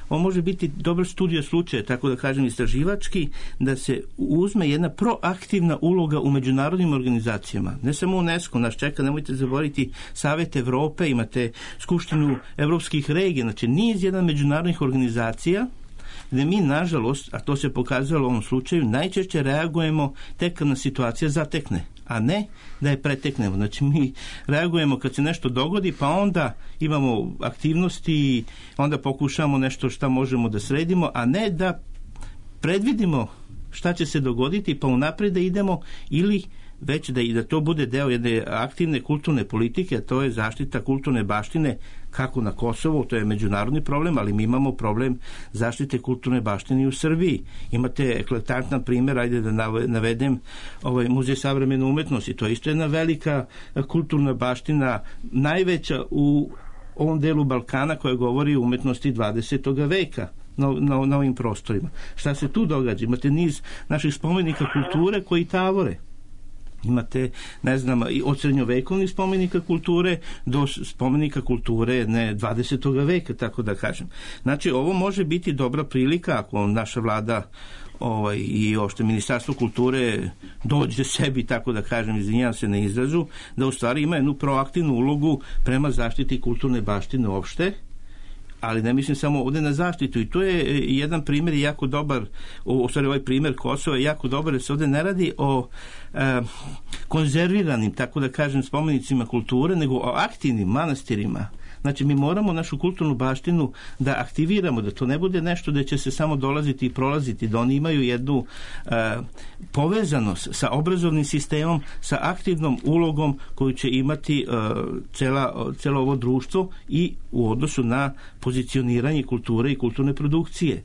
ovo može biti dobar studio slučaja, tako da kažem istraživački, da se uzme jedna proaktivna uloga u međunarodnim organizacijama. Ne samo UNESCO, nas čeka, nemojte zaboraviti Savet Evrope, imate Skupštinu evropskih regija, znači niz jedan međunarodnih organizacija gde mi, nažalost, a to se pokazalo u ovom slučaju, najčešće reagujemo tek kad nas situacija zatekne, a ne da je preteknemo. Znači, mi reagujemo kad se nešto dogodi, pa onda imamo aktivnosti, onda pokušamo nešto šta možemo da sredimo, a ne da predvidimo šta će se dogoditi, pa unapred da idemo ili već da to bude deo jedne aktivne kulturne politike, a to je zaštita kulturne baštine kako na Kosovu, to je međunarodni problem, ali mi imamo problem zaštite kulturne baštine u Srbiji. Imate eklatantan primjer, ajde da navedem Muzej savremene umetnosti, to je isto jedna velika kulturna baština, najveća u ovom delu Balkana koja govori o umetnosti 20. veka. Na ovim prostorima. Šta se tu događa? Imate niz naših spomenika kulture koji tavore. Imate, ne znam, od srednjovekovnih spomenika kulture do spomenika kulture 20. veka, tako da kažem. Znači, ovo može biti dobra prilika ako naša vlada i uopšte Ministarstvo kulture dođe sebi, tako da kažem, izvinjavam se na izrazu, da u stvari ima jednu proaktivnu ulogu prema zaštiti kulturne baštine uopšte, ali ne mislim samo ovdje na zaštitu, i to je jedan primjer jako dobar, u stvari ovaj primjer Kosova je jako dobar, jer se ovdje ne radi o konzerviranim, tako da kažem, spomenicima kulture, nego o aktivnim manastirima. Znači, mi moramo našu kulturnu baštinu da aktiviramo, da to ne bude nešto da će se samo dolaziti i prolaziti, da oni imaju jednu povezanost sa obrazovnim sistemom, sa aktivnom ulogom koju će imati celo ovo društvo i u odnosu na pozicioniranje kulture i kulturne produkcije.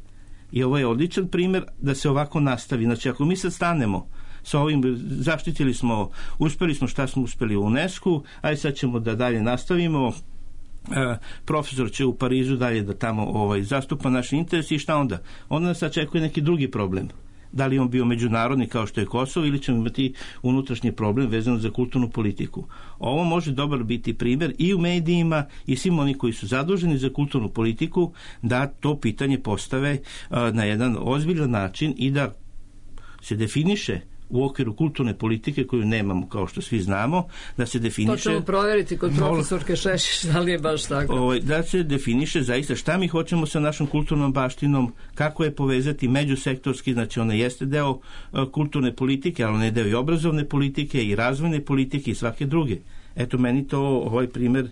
I ovo je odličan primjer da se ovako nastavi. Znači, ako mi sad stanemo sa ovim, uspeli smo šta smo uspeli u UNESCO, aj sad ćemo da dalje nastavimo, profesor će u Parizu dalje da tamo zastupa naš interes i šta onda? Onda nas očekuje neki drugi problem. Da li on bio međunarodni kao što je Kosovo ili ćemo imati unutrašnji problem vezano za kulturnu politiku. Ovo može dobar biti primjer i u medijima i svim oni koji su zaduženi za kulturnu politiku da to pitanje postave na jedan ozbiljan način i da se definiše u okviru kulturne politike koju nemamo, kao što svi znamo, da se definiše... To ćemo provjeriti kod profesorke Šešić, da li je baš tako. Da se definiše zaista šta mi hoćemo sa našom kulturnom baštinom, kako je povezati međusektorski, znači ona jeste deo kulturne politike, ali ona je deo i obrazovne politike i razvojne politike i svake druge. Eto, meni to ovaj primjer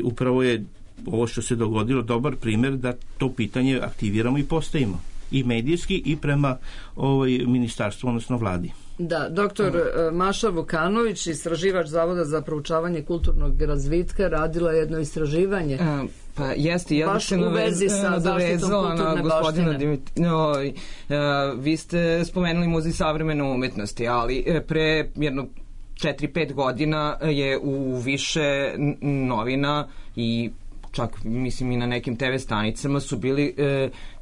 upravo je ovo što se dogodilo dobar primjer da to pitanje aktiviramo i postavimo. I medijski i prema ministarstvu, odnosno vladi. Da, doktor Maša Vukanović, istraživač Zavoda za proučavanje kulturnog razvitka, radila jedno istraživanje. Pa jeste, ja baš u vezi sa zaštitom kulturne baštine. Vi ste spomenuli Muzej savremene umetnosti, ali pre jedno 4-5 godina je u više novina i čak mislim i na nekim TV stanicama su bili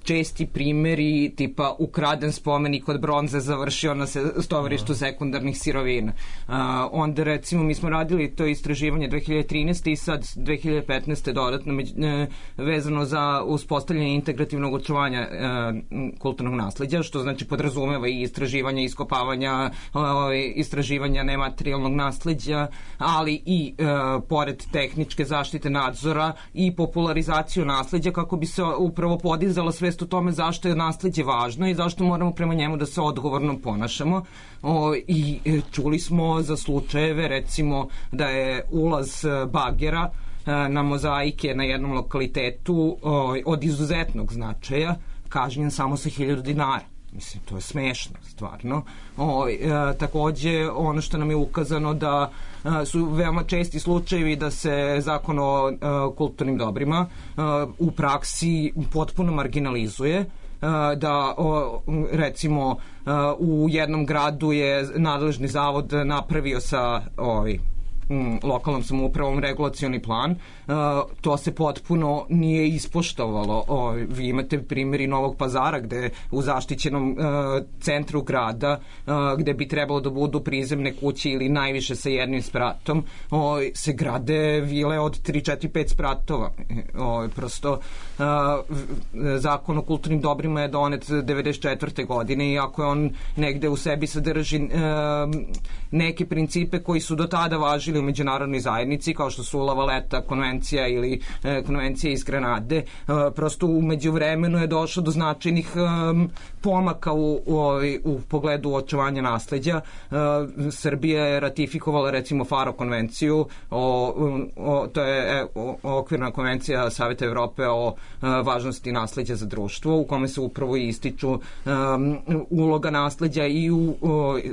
česti primjeri tipa ukraden spomenik od bronze završio na stovarištu sekundarnih sirovina. Onda recimo mi smo radili to istraživanje 2013. i sad 2015. dodatno vezano za uspostavljanje integrativnog očuvanja kulturnog nasleđa, što znači podrazumeva i istraživanja, iskopavanja, istraživanja nematerijalnog nasleđa, ali i pored tehničke zaštite nadzora i popularizaciju nasleđa kako bi se upravo podizala svest o tome zašto je nasleđe važno i zašto moramo prema njemu da se odgovorno ponašamo. I čuli smo za slučajeve recimo da je ulaz bagera na mozaike na jednom lokalitetu od izuzetnog značaja kažnjen samo sa 1000 dinara. Mislim, to je smešno, stvarno. Takođe, ono što nam je ukazano da su veoma česti slučajevi da se zakon o kulturnim dobrima u praksi potpuno marginalizuje, da recimo u jednom gradu je nadležni zavod napravio sa lokalnom samoupravom regulacioni plan, to se potpuno nije ispoštovalo. Vi imate primjeri Novog Pazara gde u zaštićenom centru grada gde bi trebalo da budu prizemne kuće ili najviše sa jednim spratom, se grade vile od 3, 4, 5 spratova. Prosto zakon o kulturnim dobrima je donet 94. godine i ako je on negde u sebi sadrži neke principe koji su do tada važili u međunarodnoj zajednici, kao što su La Valeta konvencija ili konvencija iz Granade, prosto u međuvremenu je došlo do značajnih pomaka u pogledu očuvanja nasleđa. Srbija je ratifikovala recimo Faro konvenciju, to je okvirna konvencija Saveta Evrope o važnosti nasleđa za društvo, u kome se upravo ističu uloga nasleđa i u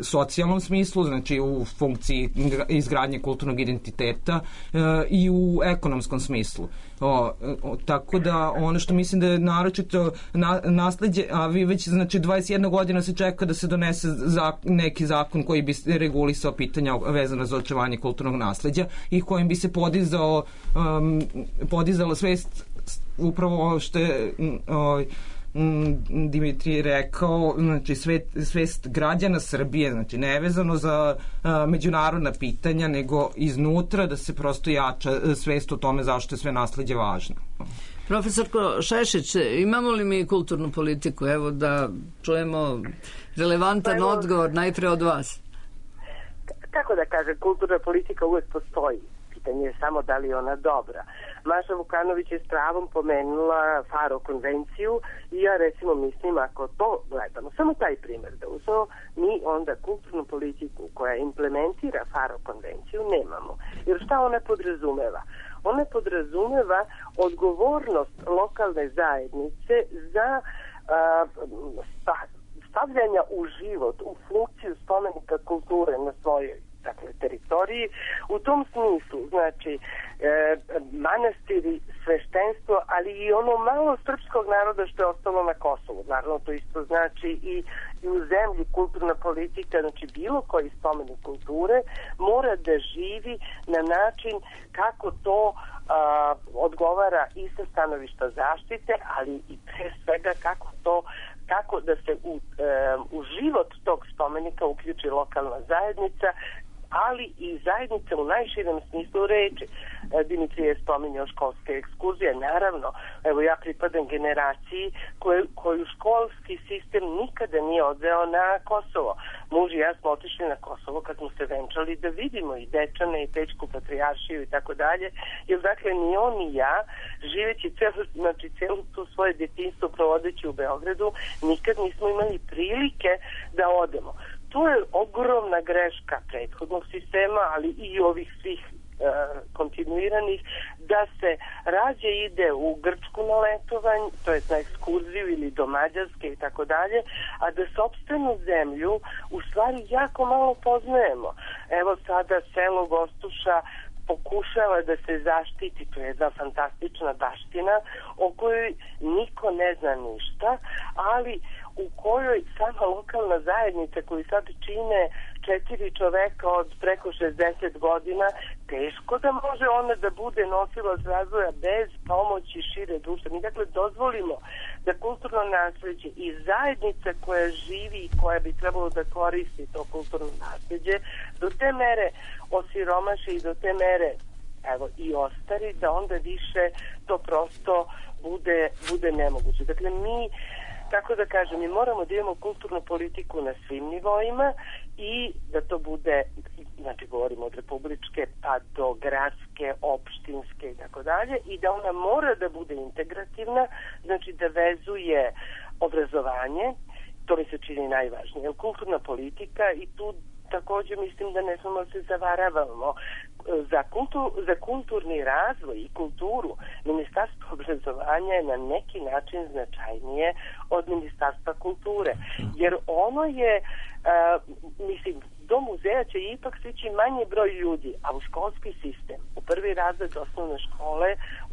socijalnom smislu, znači u funkciji izgradnje kulturnog identiteta i u ekonomskom smislu. Tako da ono što mislim da je naročito nasleđe, a vi već znači 21 godina se čeka da se donese neki zakon koji bi regulisao pitanja vezana za očuvanje kulturnog nasleđa i kojim bi se podizala svest upravo što je Dimitrij rekao, znači svest građana Srbije, znači nevezano za međunarodna pitanja, nego iznutra da se prosto jača svest o tome zašto je sve nasleđe važno. Profesorko Šešić, imamo li mi kulturnu politiku? Evo da čujemo relevantan odgovor najpre od vas. Kako da kažem, kulturna politika uvek postoji. Pitanje je samo da li je ona dobra. Maša Vukanović je s pravom pomenula Faro konvenciju i ja recimo mislim ako to gledamo, samo taj primjer da uzmemo, mi onda kulturnu politiku koja implementira Faro konvenciju nemamo. Jer šta ona podrazumeva? Ona podrazumeva odgovornost lokalne zajednice za stavljanja u život, u funkciju spomenika kulture na svojoj teritoriji. U tom smislu, znači, manastiri, sveštenstvo, ali i ono malo srpskog naroda što je ostalo na Kosovu. Naravno, to isto znači i u zemlji kulturna politika, znači bilo koji spomenik kulture mora da živi na način kako to odgovara i sa stanovišta zaštite, ali i pre svega kako da se u život tog spomenika uključi lokalna zajednica, ali i zajednice u najširem smislu reči. Dimitrij je spominjao školske ekskurzije. Naravno, evo ja pripadam generaciji koju školski sistem nikada nije odveo na Kosovo. Muž i ja smo otišli na Kosovo kad smo se venčali da vidimo i Dečane i Pećku patrijaršiju i tako dalje. Jer dakle ni on ni ja, živeći celo to svoje detinjstvo provodeći u Beogradu, nikad nismo imali prilike da odemo. To je ogromna greška prethodnog sistema, ali i ovih svih kontinuiranih, da se rađe ide u Grčku na letovanje, to je na ekskurziju ili do Mađarske i tako dalje, a da sopstvenu zemlju u stvari jako malo poznajemo. Evo sada selo Gostuša pokušava da se zaštiti, to je jedna fantastična baština o kojoj niko ne zna ništa, ali u kojoj sama lokalna zajednica koju sad čine 4 čoveka od preko 60 godina, teško da može ona da bude nosilac razvoja bez pomoći šire društva. Mi dakle dozvolimo da kulturno nasleđe i zajednica koja živi i koja bi trebalo da koristi to kulturno nasleđe do te mere osiromaši i do te mere i ostari da onda više to prosto bude nemoguće. Dakle, tako da kažem, mi moramo da imamo kulturnu politiku na svim nivoima i da to bude, znači govorimo od republičke pa do gradske, opštinske i tako dalje, i da ona mora da bude integrativna, znači da vezuje obrazovanje, to mi se čini najvažnije, jer kulturna politika i tu takođe mislim da ne smemo se zavaravamo. Za kulturni razvoj i kulturu Ministarstvo obrazovanja je na neki način značajnije od Ministarstva kulture, jer ono je, mislim, do muzeja će ipak stići manji broj ljudi, a u školski sistem, u prvi razred osnovne škole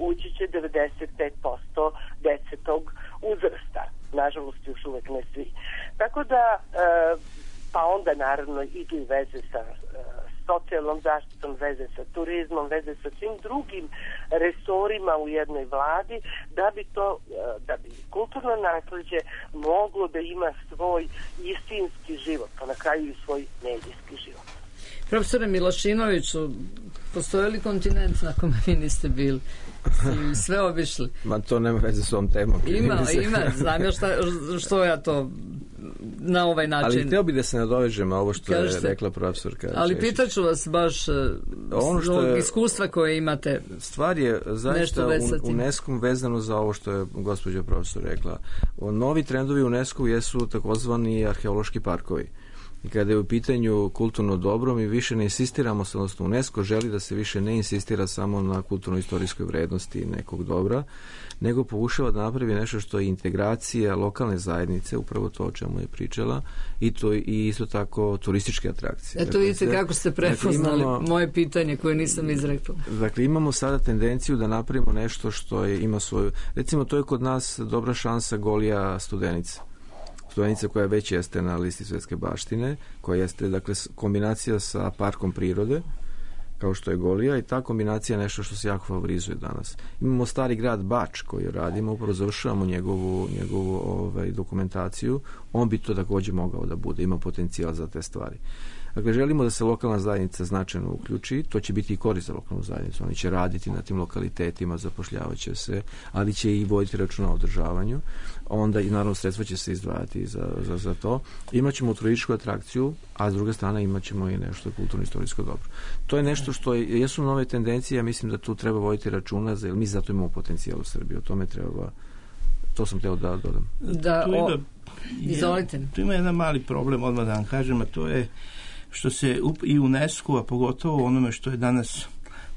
ući će 95% dece tog uzrasta. Nažalost, još uvek ne svi. Tako da, pa onda naravno idu i veze sa socijalnom zaštitom, veze sa turizmom, veze sa svim drugim resorima u jednoj vladi, da bi kulturno nasleđe moglo da ima svoj istinski život, pa na kraju i svoj medijski život. Profesore Milošinoviću, postoje li kontinent na kome vi niste bili? Sve obišli? Ma to nema veze s ovom temom. Ima, znam ja što ja to na ovaj način. Ali htio bi da se nadovežem ovo što je rekla profesorka. Ali pitaću vas baš zbog iskustva koje imate. Stvar je zaista UNESCO vezano za ovo što je gospođa profesor rekla. Novi trendovi UNESCO jesu takozvani arheološki parkovi. I kada je u pitanju kulturno dobro, mi više ne insistiramo, odnosno UNESCO želi da se više ne insistira samo na kulturno-istorijskoj vrednosti nekog dobra, nego pokušava da napravi nešto što je integracija lokalne zajednice, upravo to o čemu je pričala, i isto tako turističke atrakcije. Eto vidite kako ste prepoznali moje pitanje koje nisam izrekla. Dakle, imamo sada tendenciju da napravimo nešto što ima svoju... Recimo, to je kod nas dobra šansa Golija Studenica. Studenica koja već jeste na listi svjetske baštine, koja jeste, dakle, kombinacija sa parkom prirode, kao što je Golija, i ta kombinacija je nešto što se jako favorizuje danas. Imamo stari grad Bač koji radimo, upravo završavamo njegovu dokumentaciju, on bi to također mogao da bude, ima potencijal za te stvari. Dakle, želimo da se lokalna zajednica značajno uključi, to će biti i korist za lokalnu zajednicu, oni će raditi na tim lokalitetima, zapošljavat će se, ali će i voditi računa o održavanju, onda i naravno sredstva će se izdvajati za to. Imaćemo turističku atrakciju, a s druge strane imaćemo i nešto kulturno-istorijsko dobro. To je nešto što jesu nove tendencije, ja mislim da tu treba voditi računa, jer mi zato imamo potencijal u Srbiji, o tome treba, to sam htio da dodam. Izvolite. Tu ima jedan mali problem, odmah da vam kažem, a to je što se i UNESCO, a pogotovo onome što je danas,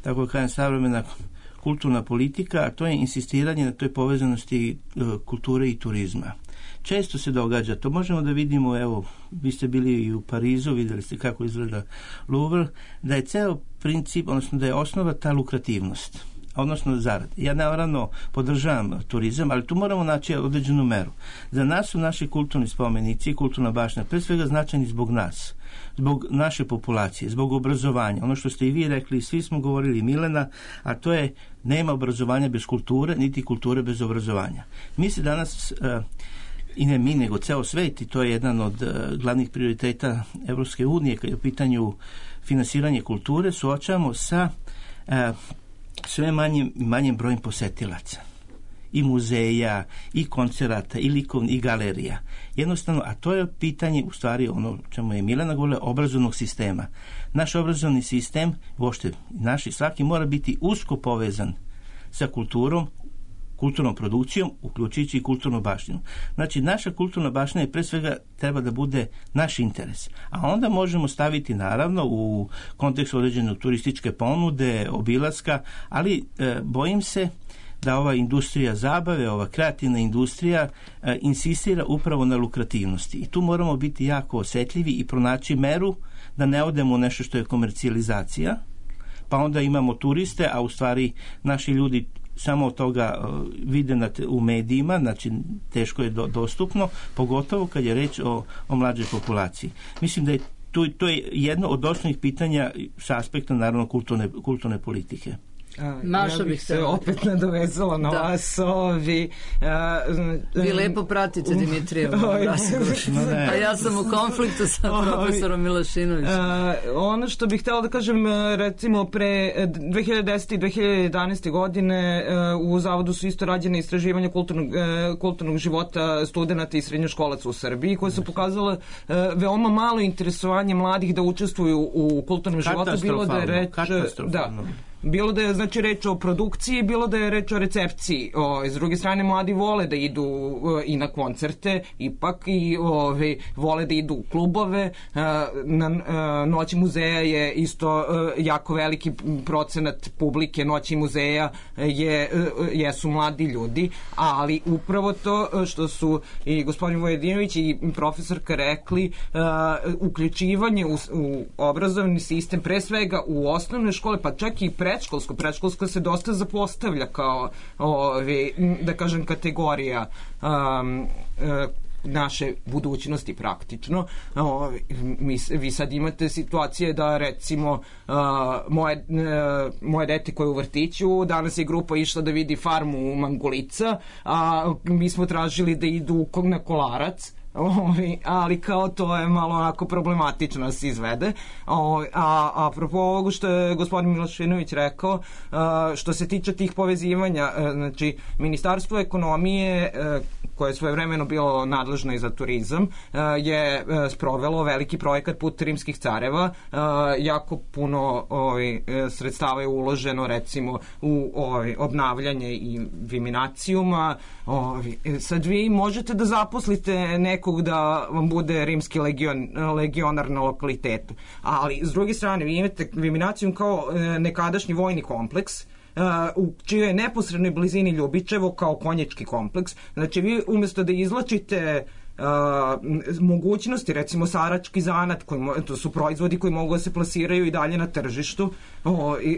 tako kažem, savremena kulturna politika, a to je insistiranje na toj povezanosti kulture i turizma. Često se događa, to možemo da vidimo, evo, vi ste bili i u Parizu, vidjeli ste kako izgleda Louvre, da je ceo princip, odnosno da je osnova ta lukrativnost, odnosno zarad. Ja naravno podržavam turizam, ali tu moramo naći određenu meru. Za nas su naši kulturni spomenici i kulturna baština pre svega značajni zbog nas, zbog naše populacije, zbog obrazovanja. Ono što ste i vi rekli, svi smo govorili, Milena, a to je nema obrazovanja bez kulture, niti kulture bez obrazovanja. Mi se danas, i ne mi, nego ceo svet, i to je jedan od glavnih prioriteta Evropske unije kad je u pitanju finansiranje kulture, suočavamo sa sve manjim brojem posetilaca i muzeja, i koncerata, i likovnih, i galerija. Jednostavno, a to je pitanje, u stvari, ono čemu je Milena govorila, obrazovnog sistema. Naš obrazovni sistem, uopšte naši, svaki mora biti usko povezan sa kulturnom produkcijom, uključujući i kulturnu baštinu. Znači, naša kulturna baština je pre svega treba da bude naš interes. A onda možemo staviti, naravno, u kontekstu određene turističke ponude, obilaska, ali bojim se da ova industrija zabave, ova kreativna industrija insistira upravo na lukrativnosti. I tu moramo biti jako osetljivi i pronaći meru da ne odemo u nešto što je komercijalizacija, pa onda imamo turiste, a u stvari naši ljudi samo od toga vide u medijima, znači teško je dostupno, pogotovo kad je reč o mlađoj populaciji. Mislim da je to je jedno od osnovnih pitanja sa aspekta, naravno, kulturne politike. Ja bih se opet nadovezala na vas. Vi lepo pratite Dimitrijevu razgovor. A ja sam u konfliktu sa profesorom Milošinovićem. Ono što bih htjela da kažem, recimo pre 2010. i 2011. godine u Zavodu su isto rađene istraživanja kulturnog života studenta i srednjoškolaca u Srbiji, koje su pokazale veoma malo interesovanje mladih da učestvuju u kulturnom životu. Bilo da je reč... bilo da je znači reč o produkciji, bilo da je reč o recepciji. S druge strane, mladi vole da idu i na koncerte, ipak i vole da idu u klubove. Na Noći muzeja je isto jako veliki procenat publike Noći muzeja jesu mladi ljudi, ali upravo to što su i gospodin Vojvodinović i profesorka rekli, uključivanje u obrazovni sistem, pre svega u osnovne škole, pa čak i predškolsko se dosta zapostavlja kao da kažem kategorija naše budućnosti praktično. Vi sad imate situacije da recimo moje dete koje je u vrtiću, danas je grupa išla da vidi farmu Mangulica, a mi smo tražili da idu na Kolarac, ali kao to je malo onako problematično da se izvede. Apropo ovog što je gospodin Milošinović rekao, što se tiče tih povezivanja, znači Ministarstvo ekonomije koje je svojevremeno bilo nadležno i za turizam, je sprovelo veliki projekat Put rimskih careva. Jako puno sredstava je uloženo recimo u obnavljanje i Viminacijuma. Sad vi možete da zaposlite nekog da vam bude rimski legionar na lokalitetu, ali s druge strane vi imate Viminacijum kao nekadašnji vojni kompleks u čijoj je neposrednoj blizini Ljubičevo kao konjički kompleks. Znači vi umjesto da izvlačite mogućnosti, recimo sarački zanat, to su proizvodi koji mogu da se plasiraju i dalje na tržištu,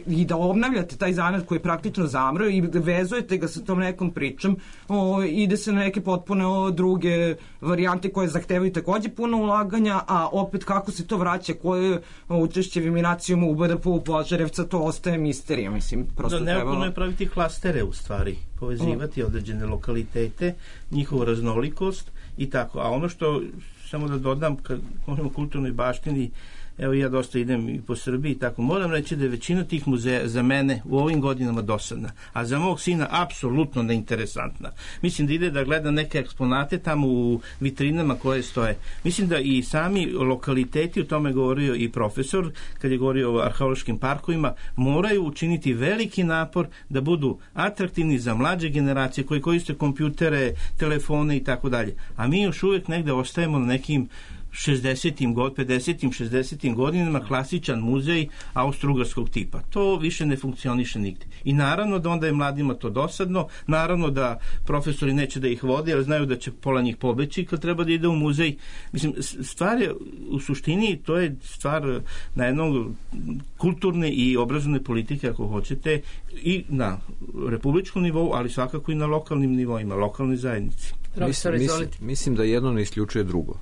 i da obnavljate taj zanat koji je praktično zamro i vezujete ga sa tom nekom pričom, ide se na neke potpuno druge varijante koje zahtevaju takođe puno ulaganja, a opet kako se to vraća, koje učešće Viminacijuma u BDP-u Požarevca, to ostaje misterija. Mislim, prosto neophodno je praviti klastere u stvari, povezivati određene lokalitete, njihovu raznolikost i tako. A ono što, samo da dodam, kad govorimo o kulturnoj baštini, evo ja dosta idem i po Srbiji i tako, moram reći da je većina tih muzeja za mene u ovim godinama dosadna, a za mog sina apsolutno neinteresantna. Mislim da ide da gleda neke eksponate tamo u vitrinama koje stoje. Mislim da i sami lokaliteti, o tome govorio i profesor, kad je govorio o arheološkim parkovima, moraju učiniti veliki napor da budu atraktivni za mlađe generacije koji koriste kompjutere, telefone i tako dalje. A mi još uvijek negde ostajemo na nekim 50. 60. godinama, klasičan muzej austrougarskog tipa. To više ne funkcioniše nigde. I naravno da onda je mladima to dosadno, naravno da profesori neće da ih vode, jer znaju da će pola njih pobeći kad treba da ide u muzej. Mislim, stvar je u suštini, to je stvar na jednog kulturne i obrazovne politike, ako hoćete, i na republičkom nivou, ali svakako i na lokalnim nivoima, lokalnoj zajednici. Mislim da jedno ne isključuje drugo.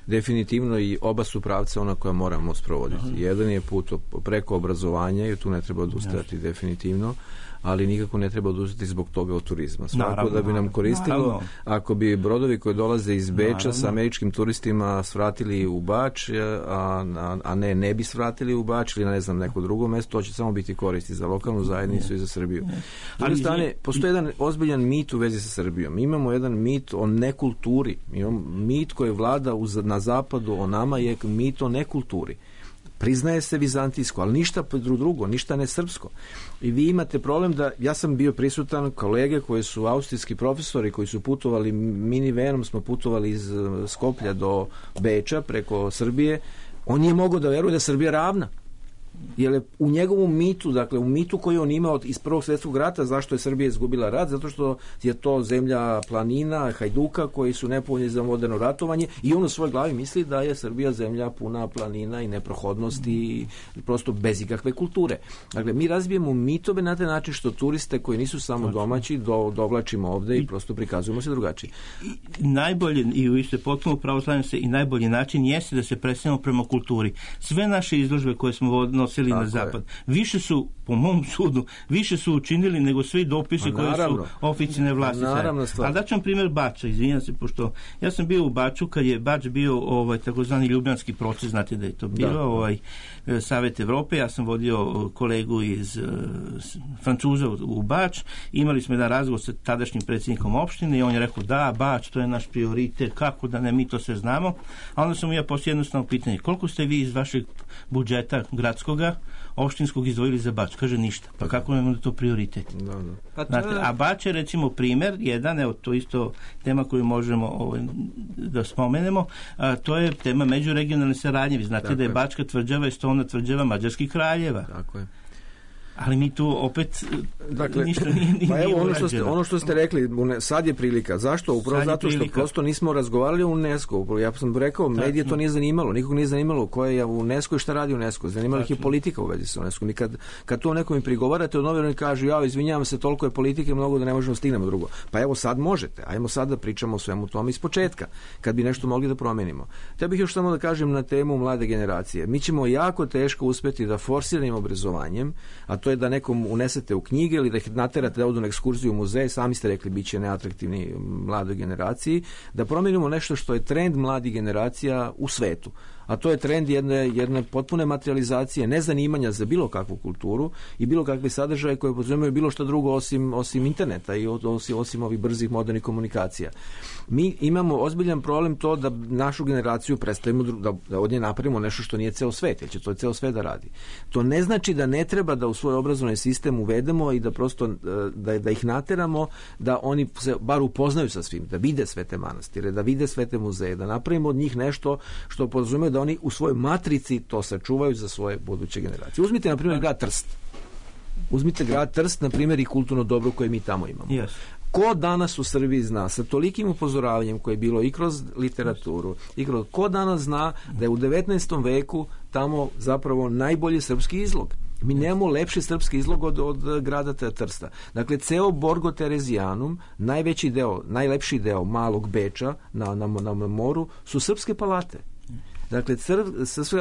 Definitivno i oba su pravca ona koja moramo sprovoditi. Jedan je put preko obrazovanja i tu ne treba odustajati definitivno, ali nikako ne treba odustati zbog toga od turizma. Svako da bi nam koristilo, ako bi brodovi koji dolaze iz Beča sa američkim turistima svratili u Bač, a ne bi svratili u Bač ili na ne znam neko drugo mesto, to će samo biti koristi za lokalnu zajednicu i za Srbiju. S druge strane, postoji jedan ozbiljan mit u vezi sa Srbijom. Imamo jedan mit o nekulturi. Imamo mit koji vlada na zapadu o nama je mit o nekulturi. Priznaje se vizantijsko, ali ništa drugo, ništa ne srpsko. I vi imate problem da, ja sam bio prisutan, kolege koji su austrijski profesori, koji su putovali, minivanom smo putovali iz Skoplja do Beča preko Srbije, on nije mogao da veruje da je Srbija ravna. Jer u njegovom mitu, dakle u mitu koji on imao iz Prvog svjetskog rata, zašto je Srbija izgubila rat, zato što je to zemlja planina, hajduka koji su nepovoljni za moderno ratovanje i on u svojoj glavi misli da je Srbija zemlja puna planina i neprohodnosti i prosto bez ikakve kulture. Dakle, mi razbijemo mitove na taj način što turiste koji nisu samo domaći dovlačimo ovde i prosto prikazujemo se drugačije. Najbolje, i vi ste potpuno pravoslavljeni se, i najbolji način jeste da se preselimo prema kulturi. Sve naše izložbe koje smo nosili na zapad, više su, po mom sudu, više su učinili nego svi dopisi koje su oficijalne vlasti. Ali daću vam primjer Bača, izvinjam se, pošto ja sam bio u Baču kad je Bač bio takozvani ljubljanski proces, znate da je to bilo Savet Evrope, ja sam vodio kolegu iz Francuza u Bač, imali smo jedan razgovor sa tadašnjim predsjednikom opštine i on je rekao da, Bač, to je naš prioritet, kako da ne, mi to sve znamo, a onda sam ja poslije jednostavno pitanje, koliko ste vi iz vašeg budžeta gradskoga vijeća opštinskog izdvojili za Bač. Kaže ništa. Pa kako nam je to prioritet? Znate, a Bač je recimo primer, jedan, evo to isto tema koju možemo da spomenemo, to je tema međuregionalne saradnje. Vi znate da je Bačka tvrđava i Stolna tvrđava mađarskih kraljeva. Tako je. Ali mi tu opet ništa nije pa evo ono što ste rekli, sad je prilika. Zašto? Upravo zato što prosto nismo razgovarali o UNESCO. Ja sam rekao, medije to nije zanimalo. Nikog nije zanimalo ko je u UNESCO i šta radi UNESCO. Zanimala ih je politika u vezi sa UNESCO. Mi kad to nekom prigovarate, od novinara kažu, izvinjavam se, toliko je politike mnogo da ne možemo stignemo drugo. Pa evo sad možete. Ajmo sad da pričamo o svemu tome iz početka, kad bi nešto mogli da promenimo. Ja bih još samo da kažem na temu mlade generacije. Mi ćemo jako teško uspeti da forsiranim obrazovanjem, a to je da nekom unesete u knjige ili da ih naterate da odu na ekskurziju u muzej, sami ste rekli bit će neatraktivni mladoj generaciji, da promijenimo nešto što je trend mladih generacija u svetu. A to je trend jedne potpune materializacije, nezanimanja za bilo kakvu kulturu i bilo kakve sadržaje koje podrazumijevaju bilo što drugo osim interneta i osim ovih brzih modernih komunikacija. Mi imamo ozbiljan problem to da našu generaciju predstavimo, da od nje napravimo nešto što nije ceo svet, jer će to ceo svet da radi. To ne znači da ne treba da u svoj obrazovni sistem uvedemo i da prosto da ih nateramo da oni se bar upoznaju sa svim, da vide sve te manastire, da vide sve te muzeje, da napravimo od njih nešto što podrazumijeva da oni u svojoj matrici to sačuvaju za svoje buduće generacije. Uzmite, na primjer, grad Trst. Uzmite grad Trst, na primjer, i kulturno dobro koje mi tamo imamo. Yes. Ko danas u Srbiji zna, sa tolikim upozoravanjem koje je bilo i kroz literaturu, ko danas zna da je u 19. veku tamo zapravo najbolji srpski izlog? Mi nemamo lepši srpski izlog od grada Trsta. Dakle, ceo Borgo Terezijanum, najlepši deo malog Beča na moru su srpske palate. Dakle,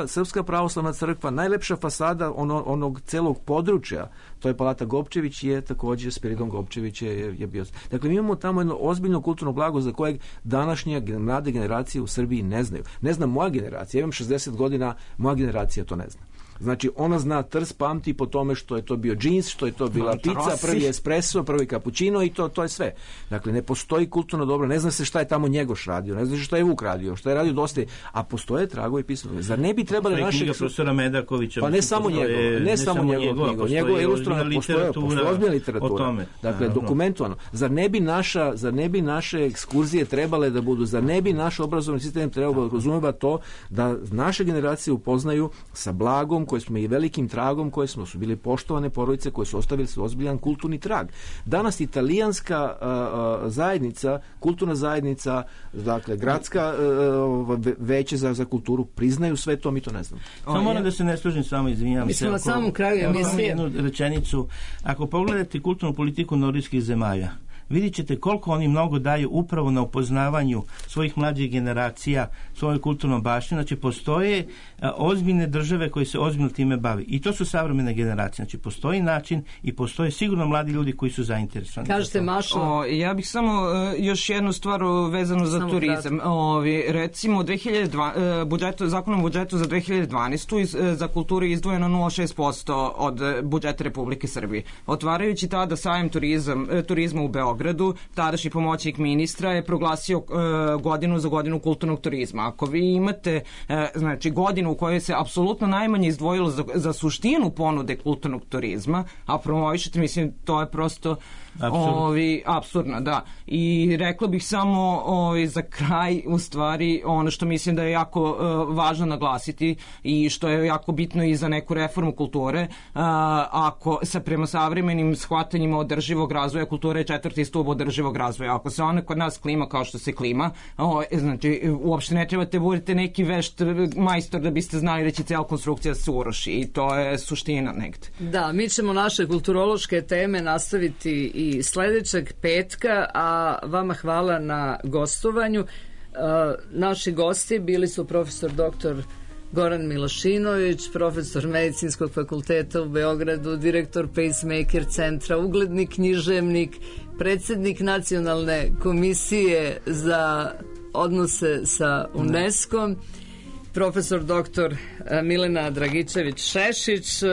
Srpska pravoslavna crkva, najlepša fasada onog celog područja, to je palata Gopčević, je također Spiridon Gopčević je bio. Dakle, mi imamo tamo jedno ozbiljno kulturno blago za kojeg današnje mlade generacije u Srbiji ne znaju. Ne zna moja generacija, ja imam 60 godina, moja generacija to ne zna. Znači, ona zna Trst, pamti po tome što je to bio džins, što je to bila pizza, prvi espresso, prvi kapućino i to je sve. Dakle, ne postoji kulturno dobro, ne zna se šta je tamo Njegoš radio, ne zna se šta je Vuk radio, šta je radio dosta, a postoje tragovi pisano. Zar ne bi trebali našeg... profesora Medakovića. Pa ne samo njegov knjigo, njegov ilustrovana, postoje ozbiljna literatura. Dakle, dokumentovano. Zar ne bi naše ekskurzije trebale da budu, zar ne bi naš obrazovni sistem trebao da razumeva to da naše generacije upoznaju sa blagom koje smo i velikim tragom koje su bili poštovane porodice koje su ostavili ozbiljan kulturni trag. Danas italijanska zajednica, kulturna zajednica, dakle gradska veće za kulturu priznaju sve to, mi to ne znamo. Samo moram da se ne složim s vama, izvinjavam se. Mi smo na samom kraju emisije. Jednu rečenicu. Ako pogledate kulturnu politiku nordijskih zemalja, vidjet ćete koliko oni mnogo daju upravo na upoznavanju svojih mlađih generacija, svojoj kulturnom baštini. Znači, postoje ozbiljne države koje se ozbiljno time bavi. I to su savremene generacije. Znači, postoji način i postoje sigurno mladi ljudi koji su zainteresovani. Kažete, Mašo? Ja bih samo još jednu stvar vezanu za turizam. Recimo, zakonom o budžetu za 2012. za kulturu je izdvojeno 0,6% od budžeta Republike Srbije. Otvarajući tada sajam turizma u Beogradu, tadašnji pomoćnik ministra je proglasio godinu za godinu kulturnog turizma. Ako vi imate godinu u kojoj se apsolutno najmanje izdvojilo za suštinu ponude kulturnog turizma, a promovišete, mislim, to je prosto apsurdno, da. I rekla bih samo za kraj, u stvari, ono što mislim da je jako važno naglasiti i što je jako bitno i za neku reformu kulture, ako se prema savremenim shvatanjima održivog razvoja, kultura je 4. stup održivog razvoja. Ako se ona kod nas klima kao što se klima, znači, uopšte ne trebate budete neki vešt majstor da biste znali da će cijela konstrukcija se uruši i to je suština negde. Da, mi ćemo naše kulturološke teme nastaviti i sledećeg petka, a vama hvala na gostovanju. Naši gosti bili su profesor dr. Goran Milošinović, profesor Medicinskog fakulteta u Beogradu, direktor Pacemaker centra, ugledni književnik, predsjednik Nacionalne komisije za odnose sa UNESCO-om, profesor dr. Milena Dragičević-Šešić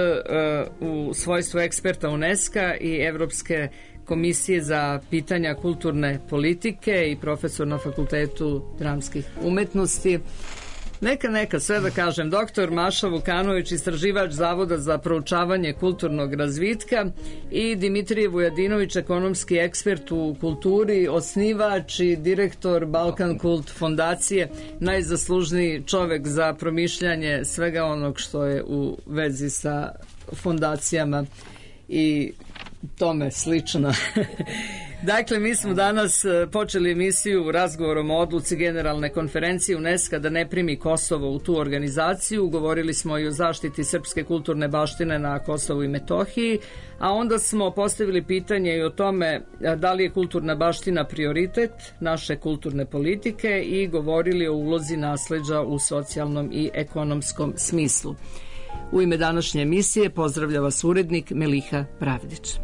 u svojstvu eksperta UNESCO-a i Evropske komisije za pitanja kulturne politike i profesor na Fakultetu dramskih umetnosti. Neka, sve da kažem. Doktor Maša Vukanović, istraživač Zavoda za proučavanje kulturnog razvitka, i Dimitrije Vujadinović, ekonomski ekspert u kulturi, osnivač i direktor Balkan Kult fondacije, najzaslužniji čovek za promišljanje svega onog što je u vezi sa fondacijama i tome slično. Dakle, mi smo danas počeli emisiju razgovorom o odluci Generalne konferencije UNESCO da ne primi Kosovo u tu organizaciju. Govorili smo i o zaštiti srpske kulturne baštine na Kosovu i Metohiji, a onda smo postavili pitanje i o tome da li je kulturna baština prioritet naše kulturne politike i govorili o ulozi nasleđa u socijalnom i ekonomskom smislu. U ime današnje emisije pozdravlja vas urednik Meliha Pravdić.